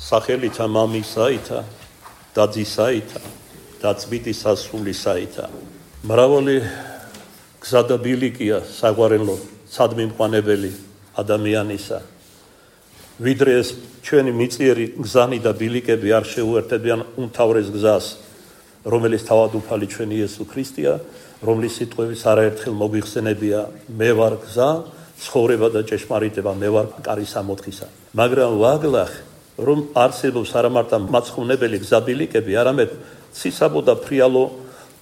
სახელითა მამისაითა და ძისაითა და წმინდის სასულისაითა. მრავალი გზა და ბილიკია საგვარელო სადმიმყვანებელი ადამიანისა. ვიდრე ეს ჩვენი მიწიერი გზანი და ბილიკები არ შეუერთებიან უმთავრეს გზას, რომელიც თავად უფალი ჩვენი იესო ქრისტეა, რომლის სიტყვების არაერთხელ მოგვიხსენებია, მე ვარ გზა, ცხოვრება და ჭეშმარიტება, მე ვარ კარი სამოთხისა. მაგრამ ვაგლახ რომ არსებობს არა მარტო მაცხოვნებელი გზაბილიკები, არამედ ცისაბო და ფრიალო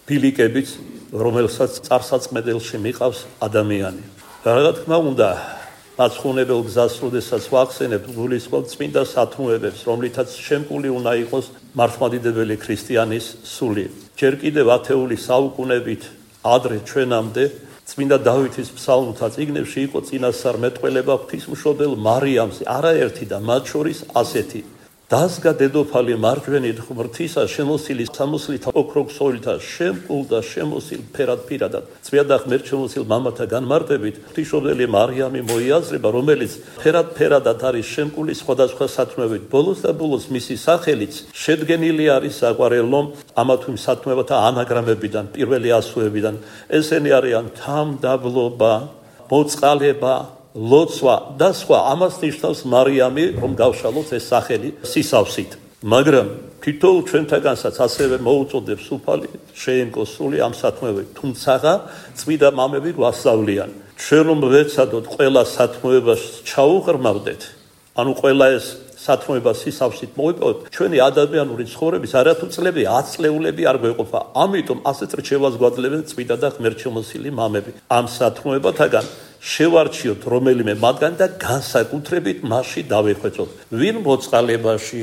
ბილიკებიც, რომელსაც წარსაწმედელში მიყავს ადამიანი. რა თქმა უნდა, მაცხოვნებელ გზას, როდესაც ვახსენებთ, გულისხმობთ წმინდა სათნოებებს, რომლითაც შემკული უნდა იყოს მართლმადიდებელი ქრისტიანის სული. ჯერ კიდევ ათეული საუკუნებით ადრე ჩვენამდე წმინდა დავითის ფსალმთა წიგნებში იყო წინასწარმეტყველება ღვთისმშობელ მარიამზე, არაერთი და მათ შორის ასეთი: დასგა დედოფალი მარჯვენით ღმრთისა, შემოსილი სამოსლითა ოქროქსოვილთა, შემკულ და შემოსილ ფერად პირადად, წვია და ღმერთშემოსილ მამათა განმარტებით, ღვთისმშობელი მარიამი მოიაზრება, რომელიც ფერად არის შემკული სხვადასხვა სათნოებით. ბოლოს და ბოლოს მისი სახელიც შედგენილი არის საყვარელო ამა თუ იმ სათნოებათა ანაგრამებიდან, პირველი ასოებიდან. ესენი არიან თამდაბლობა, მოწყალება, ლოცვა და სხვა. ამას ნიშნავს მარიამი, რომ გავშალოთ ეს სახელი სისავსით. მაგრამ თითოეულ ჩვენთაგანსაც ასევე მოუწოდებს უფალი შეემკოს სული ამ სათნოებით. თუმცა წმინდა მამები გვასწავლიან, ჩვენ რომ ვეცადოთ ყველა სათნოებას ჩაუღრმავდეთ, ანუ ყველა ეს სათნოება სისავსით მოვიპოვოთ, ჩვენი ადამიანური ცხოვრების არათუ წლები, 10 წლეულები არ გვეყოფა. ამიტომ ასეთ რჩევას გვაძლევენ წმინდა და ღმერთშემოსილი მამები. ამ სათნოებათაგან შევარჩიოთ რომელიმე მათგან და განსაკუთრებით მასში დავეხვეწოთ. ვინ მოწყალებაში,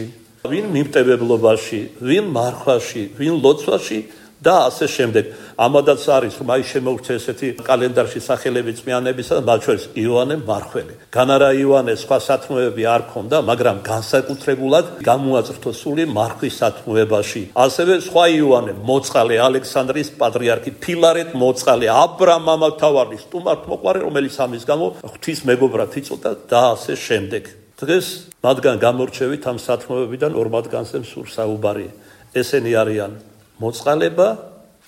ვინ მიმტევებლობაში, ვინ მარხვაში, ვინ ლოცვაში და ასე შემდეგ. ამადაც არის, რომ აი შემოგვცე ესეთი კალენდარში სახელები წმინდანებისა, მათ შორის იოანე მარხველი. განარა იოანე სხვა სათნოებები არ ქონდა, მაგრამ განსაკუთრებულად გამოაწრთო სული მარხვის სათნოებაში. ასევე სხვა იოანე მოწყალე, ალექსანდრიის პატრიარქი, ფილარეტ მოწყალე, აბრამ მამათავარი, სტუმართ მოყვარე, რომელიც ამის გამო ღვთის მეგობრად იწოდა და ასე შემდეგ. დღეს მათგან გამორჩევით ამ სათნოებიდან ორ მათგანზე მსურს საუბარი. ესენი არიან მოწყალება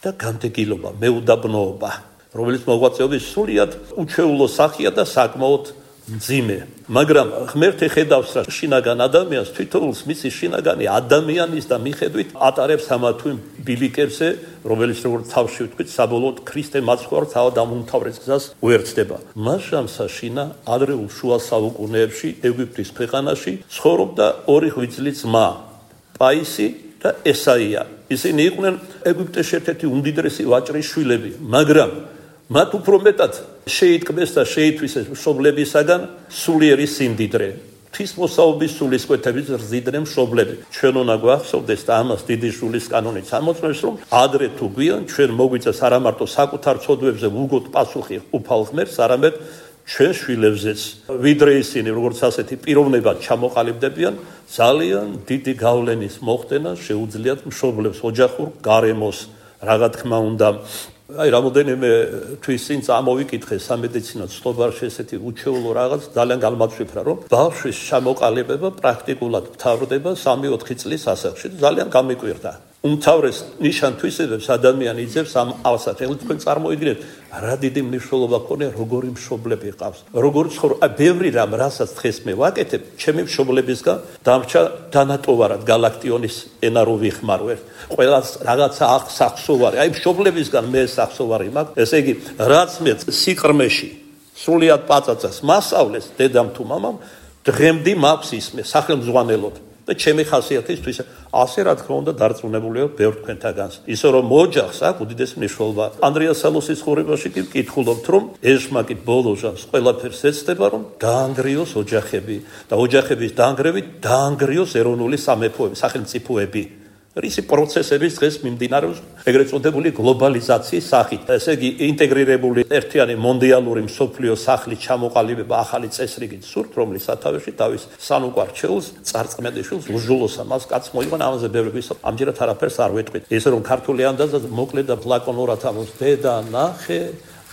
და განდეგილობა, მეუდაბნოობა, რომელიც მოღვაწეობის სულიად უჩვეულო სახეა და საკმაოდ მძიმე. მაგრამ ღმერთი ხედავს რა შინაგან ადამიანს, თვითონს მისი შინაგანი ადამიანის და მიხედვით ატარებს ამა თუ იმ ბილიკებზე, რომელიც როგორც თავში ვთქვით, საბოლოოდ ქრისტე მაცხოვარ თავად ამ უმთავრეს გზას უერთდება. მასშამსა შინა ადრეულ შუა საუკუნეებში ეგვიპტის ქვეყანაში ცხოვრობდა ორი ღვიძლი ძმა, პაისი და ესაია. ისინი იყვნენ ეგვიპტეს ერთ-ერთი უმდიდრესი ვაჭრის შვილები, მაგრამ მათ უფრო მეტად შეიტკბეს და შეითვისეს მშობლებისაგან სულიერი სიმდიდრე. ღვთისმოსაობის სულისკვეთებით ზრდიდნენ მშობლები. ჩვენ უნდა გვახსოვდეს და ამას დიდი შულის კანონით ამოწმებს, რომ ადრე თუ გვიან ჩვენ მოგვიწეს არა მარტო საკუთარ ცოდვებზე ვუგოთ პასუხი უფალ ღმერთს, არამედ ჩვენ შვილებზეც. ვიდრე ისინი როგორც ასეთი პიროვნებად ჩამოყალიბდებიან, ძალიან დიდი გავლენის მოხდენა შეუძლიათ მშობლებს, ოჯახურ გარემოს. რა თქმა უნდა, აი რამოდენიმე თვის წინ წამოვიკითხე სამედიცინო ცნობარში ესეთი უჩვეულო რაღაც ძალიან გამაჩვენებდა, რომ ბავშვის ჩამოყალიბება პრაქტიკულად მთავრდება 3-4 წლის ასაკში. ძალიან გამიკვირდა. უმთავრეს ნიშან-თვისებებს ადამიანი იძებს ამ ავსახელით. თქვენ წარმოიდგინეთ, რა დიდი მნიშვნელობა ქონია როგორი მშობლები ყავს. როგორ ცხოვრობ, ბევრი რამ, რასაც დღეს მე ვაკეთებ, ჩემი მშობლებისგან დამრჩა დანატოვარად გალაქტიონის ენა რო ვიხმარვერ. ყველას რაღაცა სახსოვარი, აი მშობლებისგან მე სახსოვარი მაქვს. ესე იგი, რაც მე სიყრმეში სრულიად პაწაწას მასწავლეს დედამ თუ მამამ, დღემდე მაქვს ისმე სახელმძღვანელოდ. და ჩემი ხასიათისთვის ასე რა თქმა უნდა დარწმუნებულია ბევრ თქვენთაგანს. ისე რომ ოჯახს აქვს უდიდესი მნიშვნელობა. ანდრია სალოსის ხურებაში კი ვკითხულობთ, რომ ეშმაკი ბოლოჟანს ყველაფერს ეცდება, რომ დაანგრიოს ოჯახები და ოჯახების დაანგრევით დაანგრიოს ეროვნული სამეფოები, სახელმწიფოები. რისი პროცესების დღეს მიმდინარეობს ეგრეთ წოდებული გლობალიზაციის სახით. ესე იგი ინტეგრირებული ერთიანი მონდიალური მსოფლიო სახლის ჩამოყალიბება ახალი წესრიგით სურთ, რომლის სათავეში თავის სანუკვარ ჩეულს, წარწმენდიშვილს, უჟულოსა მას კაც მოიყვანა. ამაზე ბევრი ვისაუბრეთ, ამჯერად არაფერს არ ვეტყვით. ესე რომ ქართული ანდაზა მოკლე და ლაკონურად ამოს დედა ნახე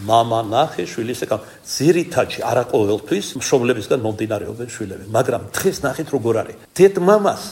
მამა ნახე შვილის ეკა ძირითადში არა ყოველთვის მშობლებისგან მომდინარეობენ შვილები, მაგრამ დღეს ნახეთ როგორ არის. დედ-მამას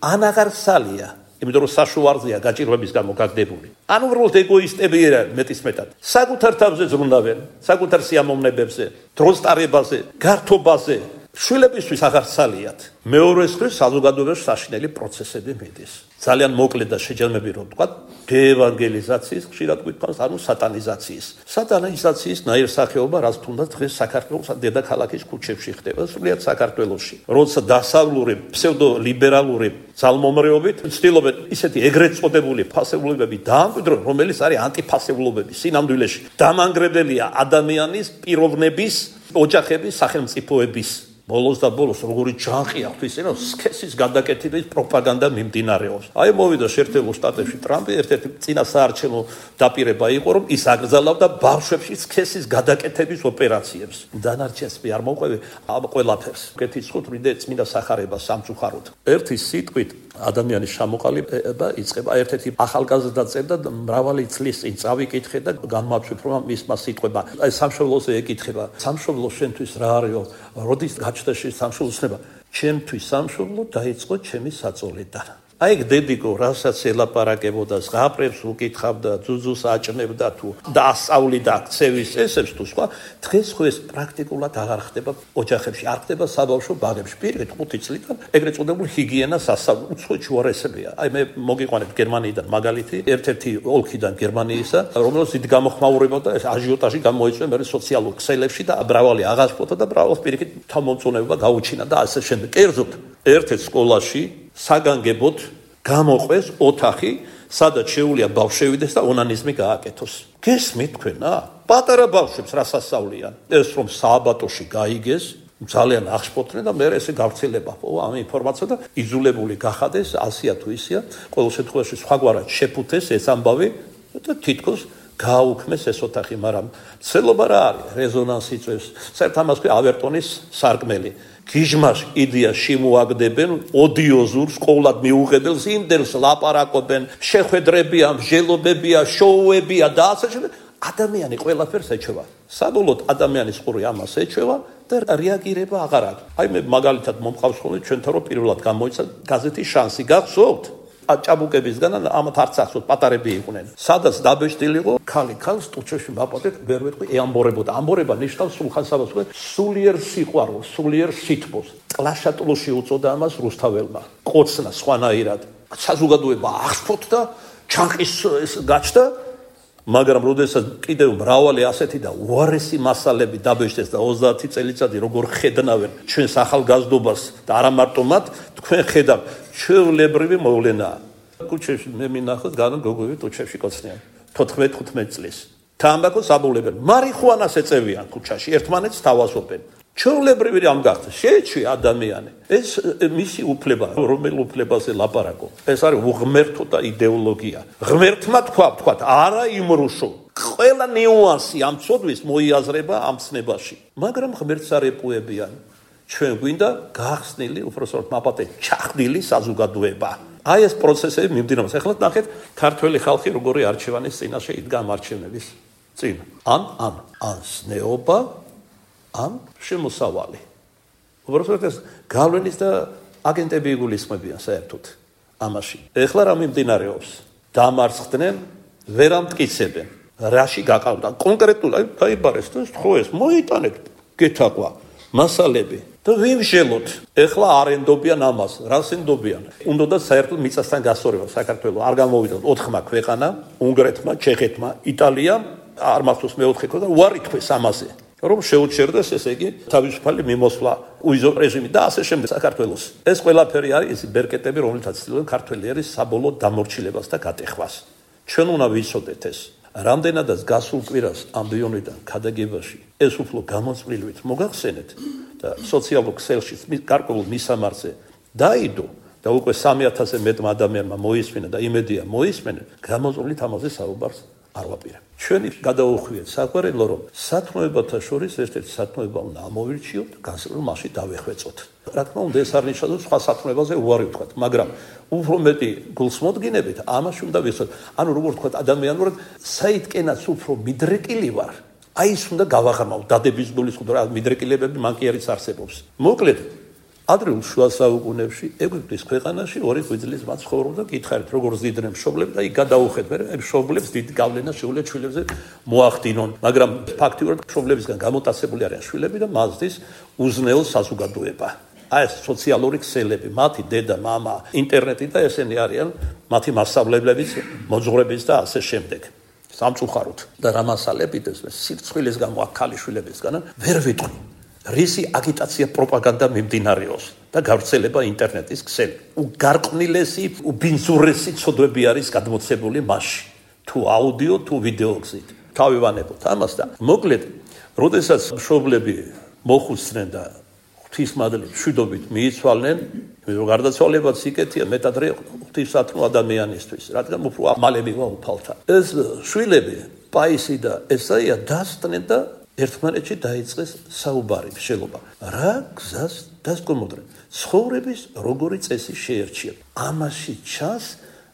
ან აღარ სალია, იმიტომ რომ საშუალზეა გაჭირვების გამო გაგდებული. ან უბრალოდ ეგოისტები არიან მეტისმეტად. საკუთარ თავზე ზრუნავენ, საკუთარ სიამოვნებებზე, დროს ტარებაზე, გართობაზე. შვილებისთვის აღარ სალიათ. მეორეს მხრივ საზოგადოებაში საშინელი პროცესები მიდის. ძალიან მოკლედ და შეჯამები რომ ვთქვა, დეევანგელიზაციის ხშირად გვითხოვს, ანუ სატანიზაციის. სატანიზაციის ნაირსახეობა, რაც თუნდაც დღეს საქართველოს დედაქალაქის ქუჩებში ხდება, სრულიად საქართველოში. როცა დასავლური ფსევდოლიბერალური ძალმომრეობით ცდილობენ ისეთი ეგრეთ წოდებული ფასეულობები დაამკვიდრონ, რომელიც არის ანტიფასეულობები. სინამდვილეში დამანგრებელია ადამიანის პიროვნების, ოჯახების, სახელმწიფოების. ბოლოს და ბოლოს როგორი ჯანყი აქვს ისე რომ სქესის გადაკეთების პროპაგანდა მიმდინარეობს. აი მოვიდა შეერთებულ შტატებში ტრამპი ერთ-ერთი წინა საარჩევნო დაპირება იყო რომ ის აკრძალავდა ბავშვებში სქესის გადაკეთების ოპერაციებს. დანარჩენს მე არ მოყვები ამ ყველაფერს. კეთილსხოთ ვიდე წმინდა სახარება სამწუხაროდ. ერთი სიტყვით ადამიანის ჩამოყალიბება იწყება. ერთ-ერთი ახალგაზრდა წერდა მრავალი წლის წინ წავიკითხე და განმავშიფრა მისმა სიტყვება. აი სამშობლოზე ეკითხება. სამშობლო შენთვის რა არისო? როდის გაჩნდა შენ სამშობლოსნება? ჩემთვის სამშობლო დაიწყო ჩემი საწოლიდან. აი დედიკო რასაც ელაპარაკებოდა, ზღაპრებს უკითხავდა, ძუძუს აჭნებდა თუ დაასწავლიდა ქცევის წესებს თუ სხვა, დღეს ხო ეს პრაქტიკულად აღარ ხდება ოჯახებში, არ ხდება საბავშვო ბაღებში. პირველ 5 წლიდან ეგრეთ წოდებული ჰიგიენას ასწავლო, უცხოეთ შუარესებია. აი მე მოგიყვანებ გერმანიიდან მაგალითი, ერთ-ერთი ოლქიდან გერმანიისა, რომელსაც დიდ გამოხმაურებოდა ეს აჟიოტაჟი გამოიწვია მე სოციალურ ქსელებში და ბრავალი აღასფოთა და ბრავალს პირიქით თავმომწონებობა გაუჩინა და ასე შემდეგ. კერძოდ, ერთ-ერთ სკოლაში საგანგებოდ გამოყვეს ოთახი, სადაც შეუძლია ბავშვებიდეს და ონანიზმი გააკეთოს. გესმით თქვენა? პატარა ბავშვებს რას ასწავლიან? ეს რომ სააბატოში გაიგეს, ძალიან აღშფოთდნენ და მე ესე გავრცელება ამ ინფორმაცია და იზოლებული გახადეს, ასია თუ ისია, ყოველ შემთხვევაში სხვაგვარად შეფუთეს ეს ამბავი და თითქოს გააუქმეს ეს ოთახი, მაგრამ ცელობა რა არის? რეზონანსი წევს. საერთოდ ამას ქვია ავერტონის სარკმელი. გიჟმაში იდეას შემოაგდებენ ოდიოზურ სკოლად მიუღებელს იმდენს ლაპარაკობენ შეხვედრებია, მსჯელობებია, შოუებია და ასე შემდეგ. ადამიანი ყველაფერს ეჩვევა. საბოლოოდ ადამიანის ყური ამას ეჩვევა და რეაგირება აღარ აქვს. აი მე მაგალითად მომყავს ხოლმე ჩვენთან რომ პირველად გამოიცა გაზეთი შანსი, გახსოვთ? ჭაბუკებისგან ამათ არც ახსოვთ, პატარები იყვნენ. სადაც დაბეჭდილი იყო ქალი ქალს ტუჩეში მაპატეთ, ვერ ვეთქვი ამბორებოდა. ამბორება ნიშნავს სულხან-საბას, სულიერ სიყვარულს, სულიერ სითბოს. კლაშატლუში უწოდა ამას რუსთაველმა. ყოცნა სხვანაირად. საზოგადოება აღსფოთდა, ჩანყის გაჩნდა, მაგრამ როდესაც კიდევ მრავალი ასეთი და უარესი მასალები დაბეჭდეს და 30 წელიწადი როგორ ხედნავენ ჩვენს ახალგაზრდობას და არა მარტო მათ, თქვენ ხედავთ ჩვეულებრივი მოვლენაა. ქუჩებში მე მინახავს განონ გოგოები ტუჩებში კოცნიან 14-15 წლის. თამბაქოს აბულებენ, მარიხუანას ეწევიან ქუჩაში, ერთმანეთს თავაზობენ. ჩვეულებრივი რამ გახდა? შეეჩვია ადამიანი. ეს მისი უფლება, რომელ უფლებაზე ლაპარაკო. ეს არის უღმერთო და იდეოლოგია. ღმერთმა თქვა, არა იმრუშო. ყველა ნიუანსი ამ ცოდვის მოიაზრება ამ ცნებაში. მაგრამ ღმერთს არ ეპუებიან. ჩვენ გვინდა გახსნილი, უბრალოდ მაპატე ჩახდილი საზოგადოება. აი ეს პროცესები მიმდინარეობს. ეხლა ნახეთ, ქართველი ხალხი როგორი არჩევანის წინაშე იდგა ამ არჩევნების წინ. ან სნეობა, ან შემოსავალი. უბრალოდ ეს გავლენის და აგენტები იგულისხმებიან საერთოდ ამაში. ეხლა რა მიმდინარეობს? დამარცხდნენ, ვერ ამტკიცებენ. რაში გაყავდა? კონკრეტულად დაიბარეს და ხო ეს მოიტანეთ, გეთაყვა მასალები. და ვიმშელოთ. ეხლა არ ენდობიან ამას. რას ენდობიან? უნდა საერთოდ მიწასთან გასწორება საქართველოს. არ გამოვიდოთ 4 ქვეყანა, უნგრეთმა, ჩეხეთმა, იტალიამ, არ მახსოვს მეოთხე და უარი თქვეს ამაზე. რომ შეუჩერდეს ესე იგი თავისუფალი მიმოსვლა უიზო რეჟიმი და ასე შემდეგ საქართველოს. ეს ყველაფერი არის ის ბერკეტები, რომელთაც ცდილობენ ქართველიერის საბოლოო დამორჩილებას და გატეხვას. ჩვენ უნდა ვიცოდეთ ეს. რამდენადაც გასულ კვირას ამბიონიდან ქადაგებაში ეს უფრო გამოწვლილვით მოგახსენეთ და სოციალურ ქსელში გარკვეულ მისამართზე დაიდო და უკვე 3000-ზე მეტმა ადამიანმა მოისმინა და იმედია მოისმენენ, გამოწვლილით ამაზე საუბარს არ ვაპირებ. ჩვენი გადაუხვიეთ საყვარელო, რომ სათნოებათა შორის ერთ-ერთი სათნოება უნდა ამოვირჩიოთ და განსაკუთრებით მასში დავეხვეწოთ. რა თქმა უნდა, ეს არ ნიშნავს, რომ სხვა სათნოებაზე უარი ვთქვათ, მაგრამ უფრო მეტი გულსმოდგინებით ამაში უნდა ვიცოდეთ. ანუ როგორ ვთქვათ, ადამიანურად საითკენაც უფრო მიდრეკილი ვარ, აი ის უნდა გავაღრმავ დადების გულის ხუდა მიდრეკილებები მან კი არის არსებობს. მოკლედ ადრეულ შუა საუკუნეებში ეგვიპტის ქვეყანაში 2 ღვიძლის მათ ცხოვრობდა გითხარით როგორ ზიდდნენ მშობლები და იქ გადაუხეთ მე მშობლებს დიდი გავლენა შეუძლია შვილებზე მოახდინონ მაგრამ ფაქტიურად მშობლებისგან გამოტაცებული არიან შვილები და მასდის უზნეო საზოგადოება აი ეს სოციალური ქსელები მათი დედა მამა ინტერნეტი და ესენი არიან მათი მასშტაბლებიც მოძღვრების და ასე შემდეგ სამწუხაროდ და რა მასალებით ეს სირცხვილის გამო აქ ქალიშვილებისგან ვერ ვიტყვი რისი აგიტაცია პროპაგანდა მიმდინარეობს და გავრცელება ინტერნეტის ქსელი. უგარყვნილესი, უბინძურესი ცოდვები არის გადმოცემული მასში. თუ აუდიო, თუ ვიდეო გზით. თავი ვანებოთ ამას და მოკლედ, როდესაც მშობლები მოხუცდნენ და ღვთისმადლით მშვიდობით მიიცვალნენ, რომ გარდაცვალებაც იქეთია მეტადრე ღვთისათნო ადამიანისთვის, რადგან უფრო მალე მივა უფალთან. ეს შვილები, პაისი და ესაია დასწნენ და ერთმანეთში დაიწყეს საუბარი შელობა. რა გზას დასკომოდნენ? ცხოვრების როგორი წესი შეერჩიათ. ამაში ჩანს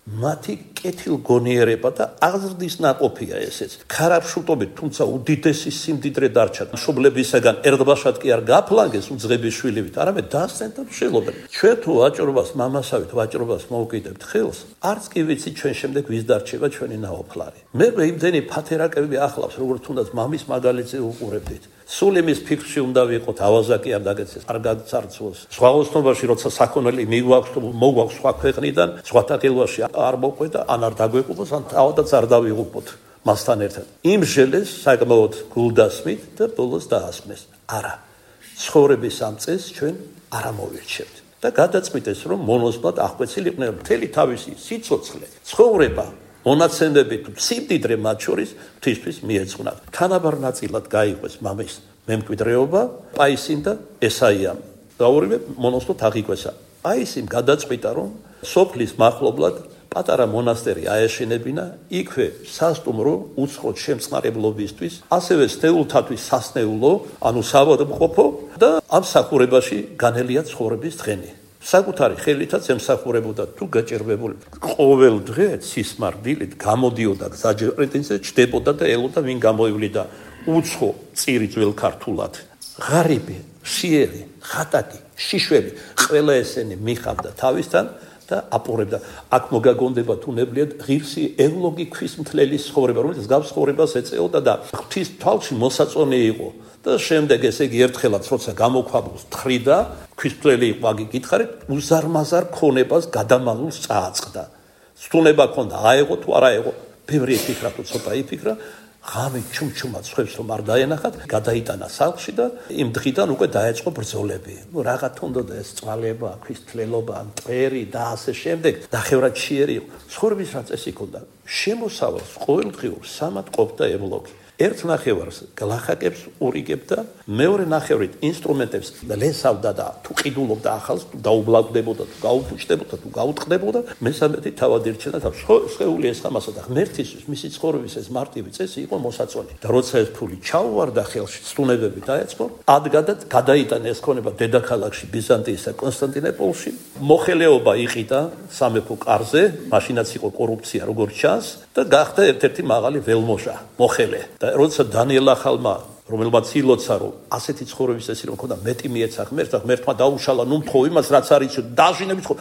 მათი კეთილგონიერება და აღზრდის ნაყოფია ესეც. ქარაფშულტობით, თუმცა უდიდესი სიმდიდრე დარჩა. მშობლებისაგან ერთბაშად კი არ გაფლანგეს უძღების შვილივით, არამედ დასცენ და შელობენ. ჩვენ თუ ვაჭრობას მამასავით ვაჭრობას მოვკიდებთ ხელს, არც კი ვიცი ჩვენ შემდეგ ვის დარჩება ჩვენი ნაოფლარი. მე იმდენი ფათერაკები ახლავს, როგორც თუნდაც მამის მაგალითზე უყურებდით. სულ იმის ფიქრში უნდა ვიყოთ, ავაზაკი არ დაგეცეს, არ გაცარცვოს. სხვა ოსნობაში როცა საქონელი მოგვაქვს სხვა ქვეყნიდან, სხვათა ხელვაში არ მოყვედა, ან არ დაგვეყუბოს, ან თავადაც არ დავიღუპოთ მასთან ერთად. იმ ჟელეს საკმაოდ გულდასმით და ბოლოს დაასმეს. არა, ცხოვრების ამ წესს ჩვენ არ ამოვირჩევთ. და გადაწყვიტეს, რომ მონოსვლად აღკვეცილიყვნენ მთელი თავისი სიცოცხლე, ცხოვრება მონაცემები თუ სიმდიდრე მათ შორის ღვთისთვის მიეძღვნათ. თანაბარ ნაწილად გაიყვეს მამის მემკვიდრეობა პაისიმ და ესაიამ. და ორივე მონოსვლად აღიკვეცა. პაისიმ გადაწყვიტა, რომ სოფლის მახლობლად პატარა მონასტერი აეშენებინა, იქვე სასტუმრო უცხოთ შემწყნარებლობისთვის, ასევე სნეულთათვის სასნეულო, ანუ საავადმყოფო და ამ სახურებაში განელია ცხოვრების დღენი. საკუთარი ხელითაც ემსახურებოდა თუ გაჭირვებული. ყოველ დღე სისმარდილით გამოდიოდა გზაჯერეთზე, ჩდებოდა და ელოდა ვინ გამოივლიდა უცხო წირი ძველ ქართულად. ღარიბი, შიერი, ხატაკი, შიშველი, ყველა ესენი მიხავდა თავისთან და აპურებდა. აქ მოგაგონდება თუნებლიად ღირსი ევლოგი ქვისმთლელის ცხოვრება, რომელიც გავს ცხოვრებას ეწეოდა და ღვთის თვალში მოსაწონი იყო. და შემდეგ ესე იგი ერთხელაც როცა გამოქვაბულს თხრიდა, ქვისმთლელი იყო, აგი გითხარით, უზარმაზარ ქონებას გადამალულს წააწყდა. სტუნება ქონდა, აეღო თუ არა აეღო, ბევრი იფიქრა თუ ცოტა იფიქრა, ღამე ჩუმჩუმად ხვევს რომ არ დაენახათ, გადაიტანა სახლში და იმ დღიდან უკვე დაეწყო ბრძოლები. ნუ რაღა თუნდოდა ეს წვალება, ქვისმთლელობა, მტერი და ასე შემდეგ, ნახევრად შიერი იყო. ცხოვრების რა წესი ქონდა? შემოსავალს ყოველდღიურ სამად ყოფდა ევლოგი. ერთ ნახევარს გლახაკებს ურიგებდა, მეორე ნახევრით ინსტრუმენტებს ლესავდა და თუ ყიდულობდა ახალს, თუ დაუბლაგდებოდა, თუ გაუფუჭდებოდა, თუ გაუტყდებოდა, მესამედი თავად ირჩენდა და სხეული ეს ამასა და ღმერთისთვის მისი ცხოვრების ეს მარტივი წესი იყო მოსაწონი. და როცა ეს ფული ჩაუვარდა ხელში, სტუნებები დაეწყო, ადგადად გადაიტანა ეს ქონება დედაქალაქში, ბიზანტიისა, კონსტანტინოპოლში. მოხელეობა იყიდა სამეფო კარზე, მაშინაც იყო კორუფცია როგორც ჩანს და გახდა ერთ-ერთი მაღალი ველმოჟა, მოხელე. როცა დანიელ ახალმა რომელმაც ილოცა რომ ასეთი ცხოვრების წესი რომ ქონდა მეტი მიეცა ღმერთს, ღმერთმა დაუშალა ნუ მთხოვ იმას რაც არის დაჟინებით ხო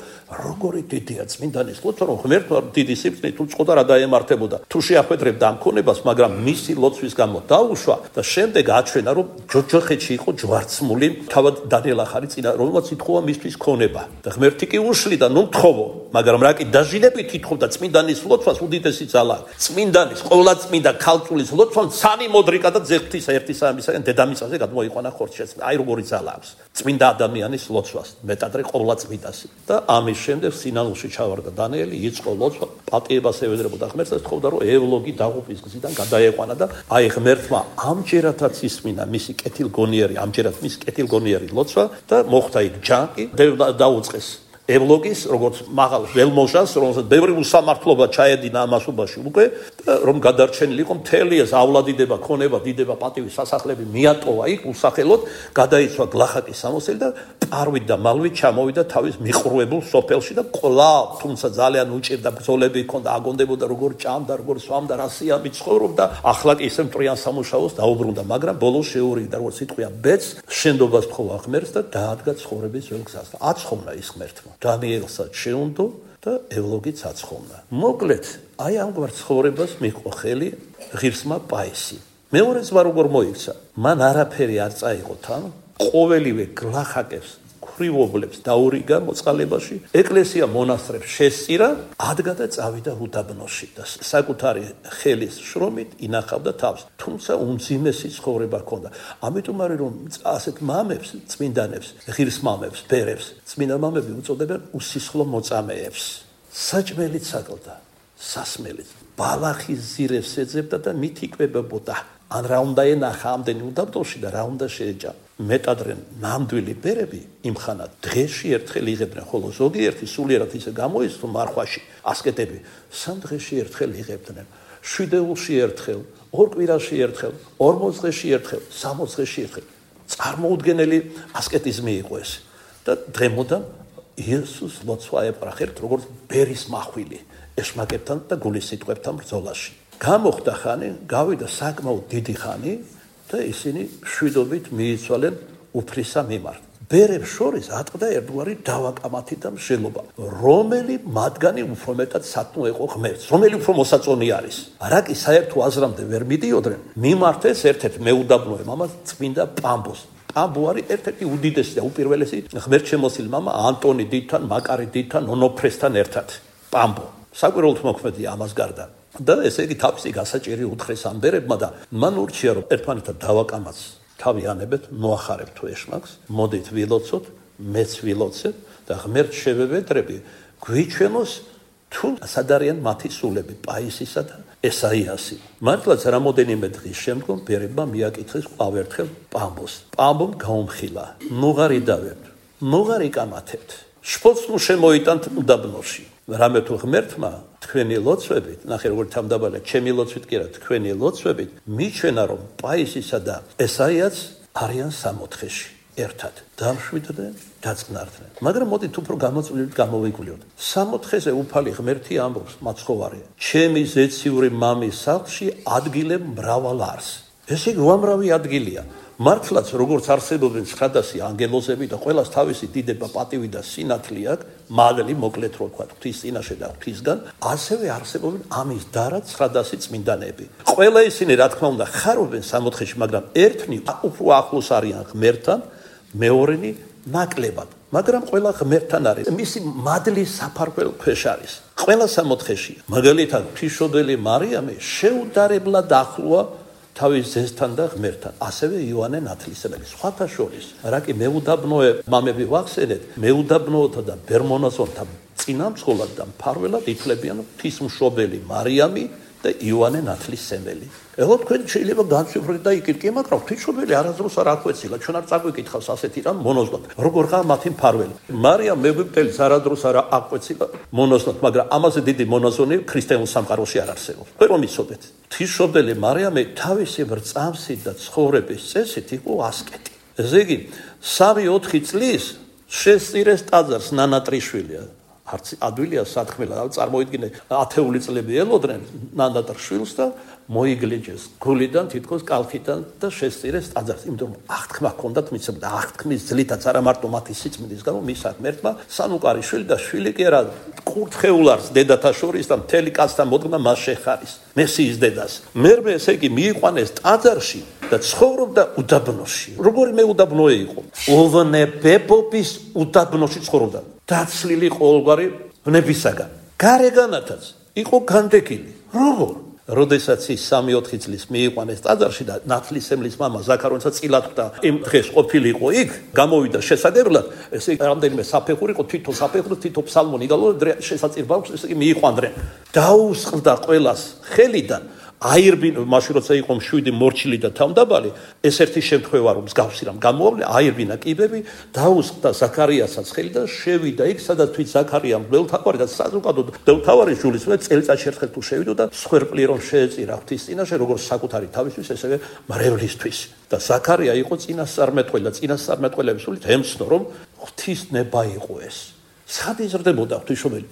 როგორი დიდია წმინდანის ლოცვა რომ ღმერთმა დიდი სიფრთხილე თუ წყოდა რა დაემართებოდა თუ შეახვედრებდა ამ ქონებას, მაგრამ მისი ლოცვის გამო დაუშვა და შემდეგ აჩვენა რომ ჯოჯოხეთში იყო ჯვარცმული თავად დანიელ ახალი წინა რომელმაც ითხოვა მისთვის ქონება და ღმერთი კი უშლიდა ნუ მთხოვო, მაგრამ რა კი დაჟინებით ითხოვდა წმინდანის ლოცვას უდიდესი ძალა წმინდანის ყოვლადწმინდა ქალწულის ლოცვამ ცანი მოდრიკა და ზეღთის ერთი სამისაგან დედამიწაზე გადმოიყვანა ხორცშეც. აი როგორი ძალა აქვს წმინდა ადამიანის ლოცვას, მეტადრე ყოვლადწმიდასი. და ამის შემდეგ სინანულში ჩავარდა დანიელი, იწყო ლოცვა, პატიებას ევედრებოდა ღმერთს და თხოვდა რომ ევლოგი დაღუპვის გზიდან გადაეყვანა და აი ღმერთმა ამჯერადაც ისმინა მისი კეთილგონიერი, ამჯერად მისი კეთილგონიერი ლოცვა და მოხდა იქ ჯანყი, დაუწყეს ევლოგის, როგორც მაღალ ველმოჟას, რომელსაც ბევრი უსამართლობა ჩაედინა ამასობაში უკვე, რომ გადარჩენილი იყო მთელი ესავლადიდება, ქონება, დიდება, პატივი, სასახლები მიატოვა იქ უსახელოდ, გადაიცვა გლახაკის სამოსელი და პარვით და მალვით ჩამოვიდა თავის მიყრუებულ სოფელში და კვლავ, თუმცა ძალიან უჭირდა ბრძოლები ჰქონდა, აგონდებოდა როგორ ჭამდა, როგორ სვამდა, რა სიამით ცხოვრობდა, ახლა კი ისე მტრიან სამუშაოს დაუბრუნდა, მაგრამ ბოლოს შეურიგდა, როგორც სიტყვია, ბედს, შენდობას თხოვა ღმერთს და დაადგა ცხოვრების ძველ გზას. აცხოვნა ის ღმერთმა. დანიელსაც შეუნდო და ევლოგიც აცხოვნა. მოკლედ, აი ამგვარ ცხოვრებას მიჰყო ხელი ღირსმა პაისი. მეორე ზღვა როგორ მოიქცა? მან არაფერი არ წაიღო თან, ყოველივე გლახაკებს, ქრივობლებს დაურიგა მოწყალებაში, ეკლესია მონასტრებს შესწირა, ადგა და წავიდა უდაბნოში და საკუთარი ხელის შრომით ინახავდა თავს. თუმცა უმძიმესი ცხოვრება ჰქონდა. ამიტომ არის რომ ასეთ მამებს, წმინდანებს, ღირს მამებს, ბერებს, წმინდა მამები უწოდებენ უსისხლო მოწამეებს. საჭმელიც აკლდა, სასმელიც, ბალახის ზირებს ეძებდა და მით იკვებებოდა. ან რა უნდა ენახა ამდენი უდაბნოში და რა უნდა შეეჭა. მეტადრე ნამდვილი ბერები იმხანად დღეში ერთხელ იღებდნენ, ხოლო ზოგიერთი სულიერად ისე გამოისწრო მარხვაში ასკეტები 3 დღეში ერთხელ იღებდნენ, 7 დეულში ერთხელ, 2 კვირაში ერთხელ, 40 დღეში ერთხელ, 60 დღეში ერთხელ. წარმოუდგენელი ასკეტიზმი იყო ეს და დღემოდან იესოს ლოცვა ეპრახერთ როგორც ბერის მახვილი ეშმაკებთან და გულის სიტყვებთან ბრძოლაში. გამოხდა ხანი, გავიდა საკმაოდ დიდი ხანი და ისინი მშვიდობით მიიცვალენ უფლისა მიმართ. ბერებს შორის ატყდა ერთგვარი დავაკამათი და მსჯელობა, რომელი მათგანი უფრო მეტად სათნო იყო ღმერთს, რომელი უფრო მოსაწონი არის. რა კი საერთო აზრამდე ვერ მიდიოდნენ, მიმართეს ერთ-ერთ მეუდაბნოე მამას წმინდა პამბოს. პამბო არის ერთ-ერთი უდიდესი და უპირველესი ღმერთშემოსილი მამა ანტონი დიდთან, მაკარი დიდთან, ონოფრესთან ერთად. პამბო საკვირველთ მოქმედია ამას გარდა. და ესე იგი თავისი გასაჭირი უთხრეს ამ ბერებმა და მან ურჩია რომ ერთმანეთთან დავაკამაც თავი ანებეთ, მოახარებთ თუ ეშმაკს, მოდით ვილოცოთ, მეც ვილოცებ და ღმერთს შევევედრები, გვიჩვენოს თუ სად არიან მათი სულები, პაისისა და ესაიასი. მართლაც რამოდენიმე დღის შემდგომ ბერებმა მიაკითხეს ყოველერთხელ პამბოს. პამბომ გაუმხილა, ნუღარი დავერთ, ნუღარი კამათებთ, შფოცნუ შემოიტანთ უდაბნოში. რამე თუ ღმერთმა თქვენი ლოცვებით, ნახე როგორ თამდაბალა, ჩემი ლოცვით კი არა, თქვენი ლოცვებით მიჩვენა რომ პაისისა და ესაიაც არიან სამოთხეში ერთად დამშვიდდნენ, დაწყნარდნენ. მაგრამ მოდით უფრო გამოწვლილებით გამოვიკვლიოთ. სამოთხეზე უფალი ღმერთი ამბობს მაცხოვარი, ჩემი ზეციური მამის სახლში ადგილებ მრავალ არს. ეს იგი უამრავი ადგილია. მართლაც როგორც არსებობენ 900 ანგელოზები და ყველას თავისი დიდება, პატივი და სინათლე აქვს, მადლი მოკლედ რო ვთქვა, ღვთის წინაშე და ღვთისგან, ასევე არსებობენ ამის დარა 900 წმინდანები. ყველა ისინი რა თქმა უნდა ხარობენ სამოთხეში, მაგრამ ერთნი უფრო ახლოს არიან ღმერთთან, მეორენი ნაკლებად. მაგრამ ყველა ღმერთთან არის. მისი მადლის საფარველო ქვეშ არის. ყველა სამოთხეშია. მაგალითად, ღვთისმშობელი მარიამი შეუდარებლად ახლოა თავის ძესთან და ღმერთთან, ასევე იოანე ნათლისმცემელი. სხვათა შორის, რა კი მეუდაბნოე მამები ვახსენეთ, მეუდაბნოთა და ბერმონაზონთა წინამძღოლად და მფარველად ითვლებიან ღვთისმშობელი მარიამი და იოანე ნათლისმცემელი. ეხლა თქვენ შეიძლება განსვიფროთ და იკითხეთ, მაგრამ ღვთისმშობელი არასდროს არ აკვეცილა, ჩვენ არ წაგვიკითხავს ასეთი რამ მონოზვნად. როგორ ხარ მათი მფარველი? მარიამ მეგვიპტელის არასდროს არ აკვეცილა მონოზვნად, მაგრამ ამაზე დიდი მონაზონი ქრისტიანულ სამყაროში არ არსებობს. თქვენ რომ იცოდეთ, ღვთისმშობელი მარიამი თავისი ბრწამსი და ცხოვრების წესით იყო ასკეტი. ესე იგი, 3-4 წლის შესწირეს ტაძარს ნანატრიშვილია. არც ადვილია სათქმელა, წარმოიდგინე, ათეული წლები ელოდნენ ნანატრიშვილს და მოიგლეჯეს გულიდან, თითქოს კალხიდან და შესწირეს ტაძარს. იმიტომ რომ აღთქმა ჰქონდათ მისცემ და აღთქმის ძლითაც არა მარტო მათი სიწმინდის გამო მის ღმერთმა სანუკარი შვილი და შვილი კი არა კურთხეულარს დედათა შორის და მთელი კაცთა მოდგმა მას შეხარის. მესიის დედას. მერმე ესე იგი მიიყვანეს ტაძარში და ცხოვრობდა უდაბნოში. როგორი მეუდაბნოე იყო? ოვნებებობის უდაბნოში ცხოვრობდა. დაცლილი ყოველგვარი ბნებისაგან. გარეგანათაც იყო განდეგილი. როგორ? როდესაც ის 3-4 წლის მიიყვანეს ტაძარში და ნათლისმცემლის მამა ზაქარონიცა წილად ხვდა, იმ დღეს ყოფილიყო იქ, გამოვიდა შესაგებლად, ესე იგი რამდენიმე საფეხური იყო, თითო საფეხური, თითო ფსალმონი გალო შესაწირ ბავშვს, ესე იგი მიიყვანდნენ. დაუსხლდა ყველას ხელიდან. აირბინ მაშინ როცა იყო მშვიდი მორჩილი და თავდაბალი, ეს ერთი შემთხვევა რომ მსგავსი რამ გამოავლე, აირბინა კიბები, დაუსხლდა ზაქარიასაც ხელი და შევიდა იქ, სადაც თვით ზაქარიამ მღვდელმთავარი და საზოგადოდ მღვდელმთავარი ჯულისმე წელიწადში ერთხელ თუ შევიდა და სხერპლი რომ შეეწირა ღვთის წინაშე, როგორც საკუთარი თავისთვის, ესევე მრევლისთვის. და ზაქარია იყო წინასწარმეტყველი და წინასწარმეტყველების სულით ემცნო რომ ღვთისნება იყო ეს. სად იზრდებოდა ღვთისმშობელი?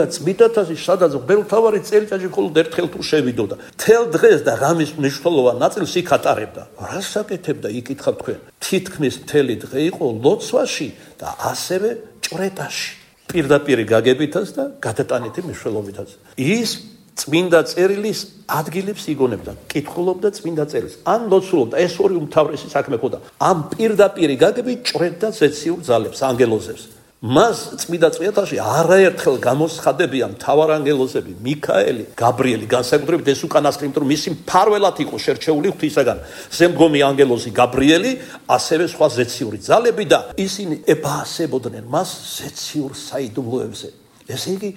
წმიდათაში სადაც მღვდელმთავარი წელიწადში მხოლოდ ერთხელ თუ შევიდოდა. მთელ დღეს და ღამის მნიშვნელოვან ნაწილს იქ ატარებდა. რას აკეთებდა? იკითხავ თქვენ. თითქმის მთელი დღე იყო ლოცვაში და ასევე ჭვრეტაში. პირდაპირ გაგებითაც და გადატანითი მნიშვნელობითაც. ის წმინდა წერილის ადგილებს იგონებდა, კითხულობდა წმინდა წერილს. ან ლოცულობდა, ეს ორი უმთავრესი საქმე ხოდა. ამ პირდაპირ გაგებით ჭვრეტდა ზეციურ ძალებს, ანგელოზებს. მას წმინდა წვეთაში არაერთხელ გამოსხადებია მთავარანგელოზები, მიქაელი, გაბრიელი, განსაკუთრებით ეს უკანასკნელი, იმიტომ რომ მისი მფარველად იყო შერჩეული ღვთისაგან. ზემდგომი ანგელოზი გაბრიელი, ასევე სხვა ზეციური ძალები და ისინი ებაასებოდნენ მას ზეციურ საიდუმლოებზე. ესე იგი,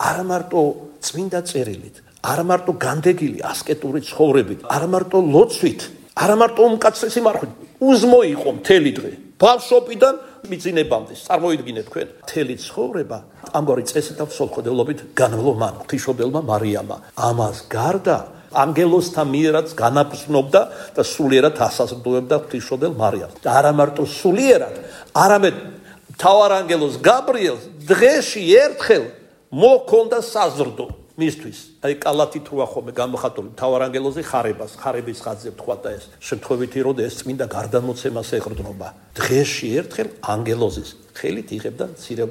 არა მარტო წმინდა წერილით, არა მარტო განდეგილი ასკეტური ცხოვრებით, არა მარტო ლოცვით, არა მარტო უმკაცრესი მარხვით, უზმო იყო მთელი დღე. ბავშვობიდან მიწინებამდე წარმოიდგინეთ თქვენ მთელი ცხოვრება ამგვარი წესით და მსოფლმხედველობით განვლო მან ღვთისმშობელმა მარიამმა. ამას გარდა ანგელოზთა მიერაც განაბრძნობდა და სულიერად ასაზრდოებდა ღვთისმშობელ მარიამს. და არა მარტო სულიერად, არამედ მთავარანგელოზ გაბრიელს დღეში ერთხელ მოჰქონდა საზრდო მისთვის. აი კალათით როა ხოლმე გამოხატული მთავარანგელოზე ხარების ხაზზე თქვა და ეს შემთხვევითი რომ ეს წმინდა გარდამოცემას ეყრდნობა. დღეში ერთხელ ანგელოზის ხელით იღებდა მცირე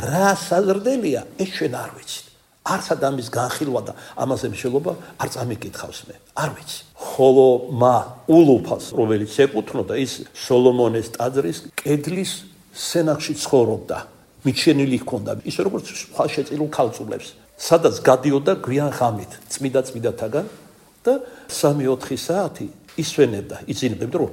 რა საზრდელია ეს ჩვენ არ ვიცით. არც ადამიანის განხილვა და ამაზე მსჯელობა არ წამიკითხავს მე. არ ვიცი. ხოლო ულუფას რომელიც ეკუთვნოდა ის სოლომონეს ტაძრის კედლის სენახში ცხოვრობდა. მიჩენილი ჰქონდა ისე როგორც სხვა შეწილულ ქალწულებს. სადაც გადიოდა გვიან ღამით წმიდათაგან და 3-4 საათი ისვენებდა, იწინებდა რომ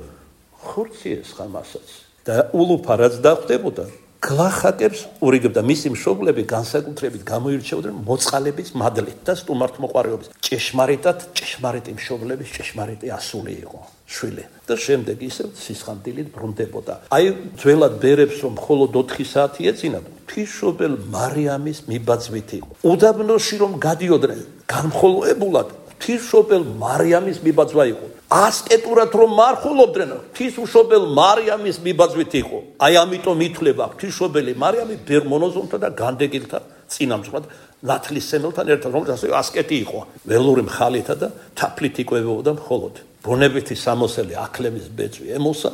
ხორციეს ხამასაც და ულუფა რაც დახვდებოდა გლახაკებს ურიგებდა. მისი მშობლები განსაკუთრებით გამოირჩეოდნენ მოწყალების მადლით და სტუმართმოყვარეობის. ჭეშმარიტი მშობლების ჭეშმარიტი ასული იყო შვილი და შემდეგ ისევ სისხლდილით ბრუნდებოდა. აი ძველად ბერებს რომ მხოლოდ 4 საათი ეწინა ღვთისმშობელ მარიამის მიბაძვით იყო. უდაბნოში რომ გადიოდნენ განმხოლოებულად ღვთისმშობელ მარიამის მიბაძვა იყო. ასკეტურად რომ მარხულობდნენ ღვთისმშობელ მარიამის მიბაძვით იყო. აი ამიტომ ითვლება ღვთისმშობელი მარიამი ბერ მონოზონთა და განდეგილთა წინამძღვრად ნათლისმცემელთან ერთად, რომელიც ასე ასკეტი იყო. ველური მხალითა და თაფლით იკვებებოდა მხოლოდ. ბუნებითი სამოსელი აკლემის ბეწვი ემოსა